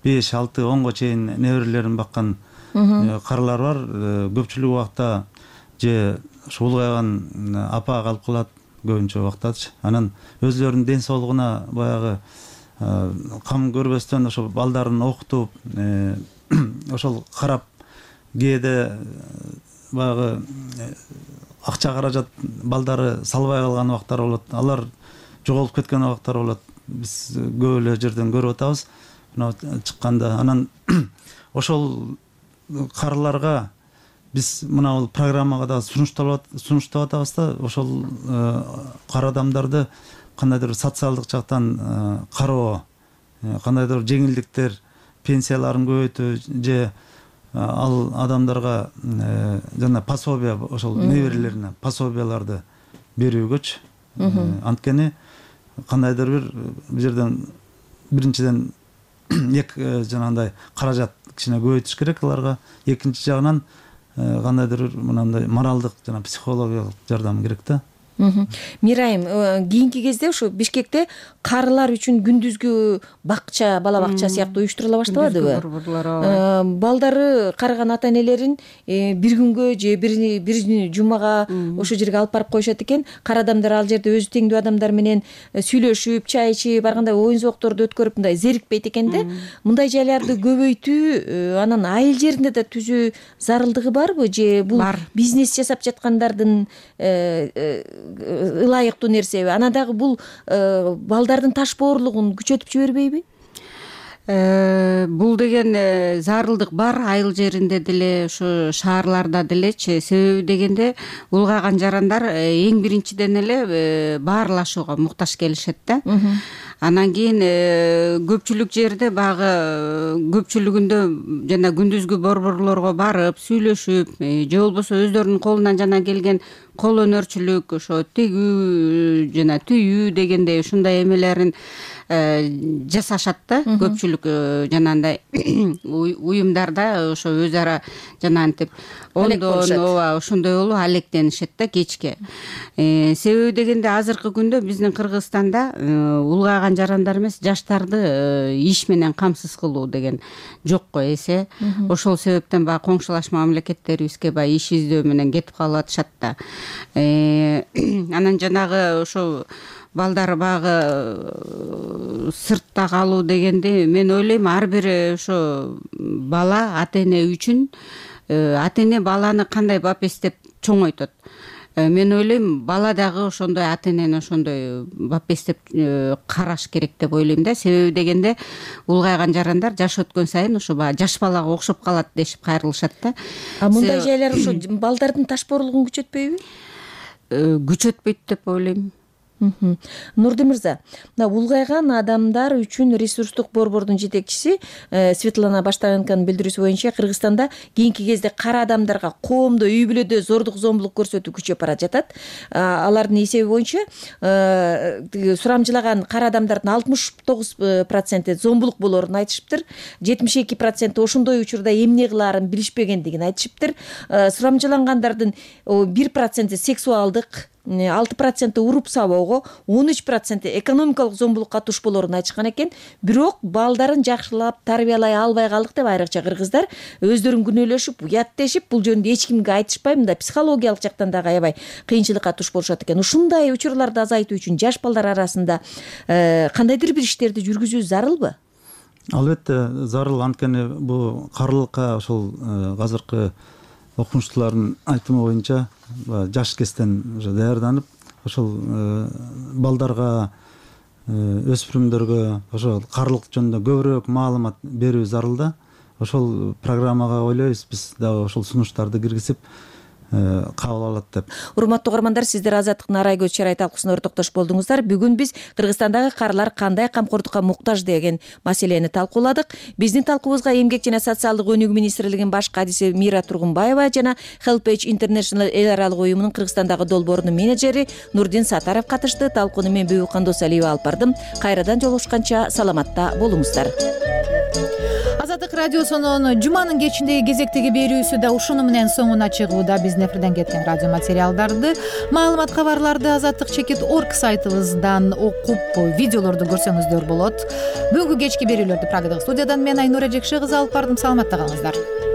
беш, алты, онго чейин неберелерин баккан каралар бар. Көпчүлүк убакта же ушу улгайган апа калып калат көбүнчө убактачы. Анан өзлөрүнүн ден соолугуна баягы кам көрбөстөн ошо балдарын окутуп, ошол карап кээде баягы акча каражат балдары салбай калган убактар болот. Алар жоголуп кеткен убактар болот. Биз көп эле жерден көрүп атабыз мына чыкканда. Анан ошол карыларга биз мына бул программага да сунуштап атабыз да, ошол кара адамдарды кандайдыр социалдык жактан кароо, кандайдыр жеңилдиктер, пенсияларын көбөйтүү же ал адамдарга жана пособие, ошол неберелерине пособияларды берүүгөчү. Анткени кандайдыр бир бул жерден биринчиден эк жанагындай каражат кичине көбөйтүш керек аларга. Экинчи жагынан кандайдыр бир мынандай моралдык жана психологиялык жардам керек да. Мирайым, кийинки кезде ушу Бишкекте карылар үчүн күндүзгү бакча, бала бакча сыяктуу уюштурула баштабадыбы? Балдары карыган ата энелерин бир күнгө же бир жумага ошол жерге алып барып коюшат экен. Кара адамдар ал жерде өзү теңдүү адамдар менен сүйлөшүп, чай ичип, ар кандай оюн зоокторду өткөрүп мындай зерикпейт экен да. Мындай жайларды көбөйтүү, анан айыл жеринде да түзүү зарылдыгы барбы же бул бизнес жасап жаткандардын ылайыктуу нерсеби? Анан дагы бул балдардын таш боорлугун күчөтүп жибербейби? Бул деген зарылдык бар айыл жеринде деле, ушу шаарларда делечи. Себеби дегенде улгайган жарандар эң биринчиден эле баарлашууга муктаж келишет да. Анан кийин көпчүлүк жерде багы көпчүлүгүндө жана күндүзгү борборлорго барып сүйлөшүп, же болбосо өздөрүнүн колунан жана келген кол өнөрчүлүк, ошо тигүү жана түйүү дегендей ушундай эмелерин жасашат да. Көпчүлүк жанагындай уюмдарда ошо өз ара жанагынтип ондон ооба ошондой болуп алектенишет да кечке. Себеби дегенде азыркы күндө биздин Кыргызстанда улгайган жарандар эмес, жаштарды иш менен камсыз кылуу деген жокко эсе. Ошол себептен баягы коңшулаш мамлекеттерибизге баягы иш издөө менен кетип калып атышат да. Анан жанагы ошо балдар багы сыртта калуу дегенде мен ойлойм ар бир ошо бала ата эне үчүн ата эне баланы кандай бап эстеп чоңойтот. мен ойлойм бала дагы ошондой ата энени ошондой бапестеп караш керек деп ойлойм да. Себеби дегенде улгайган жарандар жаш өткөн сайын ошо баягы жаш балага окшоп калат дешип кайрылышат да. А мындай жайлар ошо балдардын ташпоорлугун күчөтпөйбү? Күчөтпөйт деп ойлойм. Нурди мырза, мына улгайган адамдар үчүн ресурстук борбордун жетекчиси Светлана Баштаенконун билдирүүсү боюнча Кыргызстанда кийинки кезде кара адамдарга коомдо, үй бүлөдө зордук зомбулук көрсөтүү күчөп бара жатат. Алардын эсеби боюнча сурамжылаган кара адамдардын алтымыш тогуз проценти зомбулук болоорун айтышыптыр. жетимиш эки проценти ошондой учурда эмне кылаарын билишпегендигин айтышыптыр. Сурамжылангандардын бир проценти сексуалдык, алты проценти уруп сабоого, он үч проценти экономикалык зомбулукка туш болоорун айтышкан экен. Бирок балдарын жакшылап тарбиялай албай калдык деп айрыкча кыргыздар өздөрүн күнөөлөшүп, уяттешип, бул жөнүндө эч кимге айтышпай, мында психологиялык жактан дагы аябай кыйынчылыкка туш болушат экен. Ушундай учурларды азайтуу үчүн жаш балдар арасында кандайдыр бир иштерди жүргүзүү зарылбы? Албетте зарыл. Анткени бул карылыкка ошол азыркы окумуштуулардын айтымы боюнча жаш кезден уже даярданып, ошол балдарга, өспүрүмдөргө ошол карылык жөнүндө көбүрөөк маалымат берүү зарыл да. Ошол программага ойлойбуз биз дагы ошол сунуштарды киргизип кабыл алат деп. Урматтуу угармандар, сиздер Азаттыктын арай көз чарай талкуусуна ортоктош болдуңуздар. Бүгүн биз Кыргызстандагы карылар кандай камкордукка муктаж деген маселени талкууладык. Биздин талкуубузга Эмгек жана социалдык өнүгүү министрлигинин баш кадиси Мира Тургунбаева жана Helpage International эл аралык уюмунун Кыргызстандагы долбоорунун менеджери Нурдин Сатаров катышты. Талкууну мен Бүбүкан Досалиева алып бардым. Кайрадан жолугушканча саламатта болуңуздар. Азаттык радиосунун жуманын кечиндеги кезектеги берүүсү да ушуну менен соңуна чыгууда. Биздин эфирден кеткен радио материалдарды, маалымат кабарларды азаттык чекит точка орг сайтыбыздан окуп, видеолорду көрсөңүздөр болот. Бүгүнкү кечки берүүлөрдү Прагадағы студиядан мен Айнура Жекше кызы алып бардым. Саламатта калыңыздар.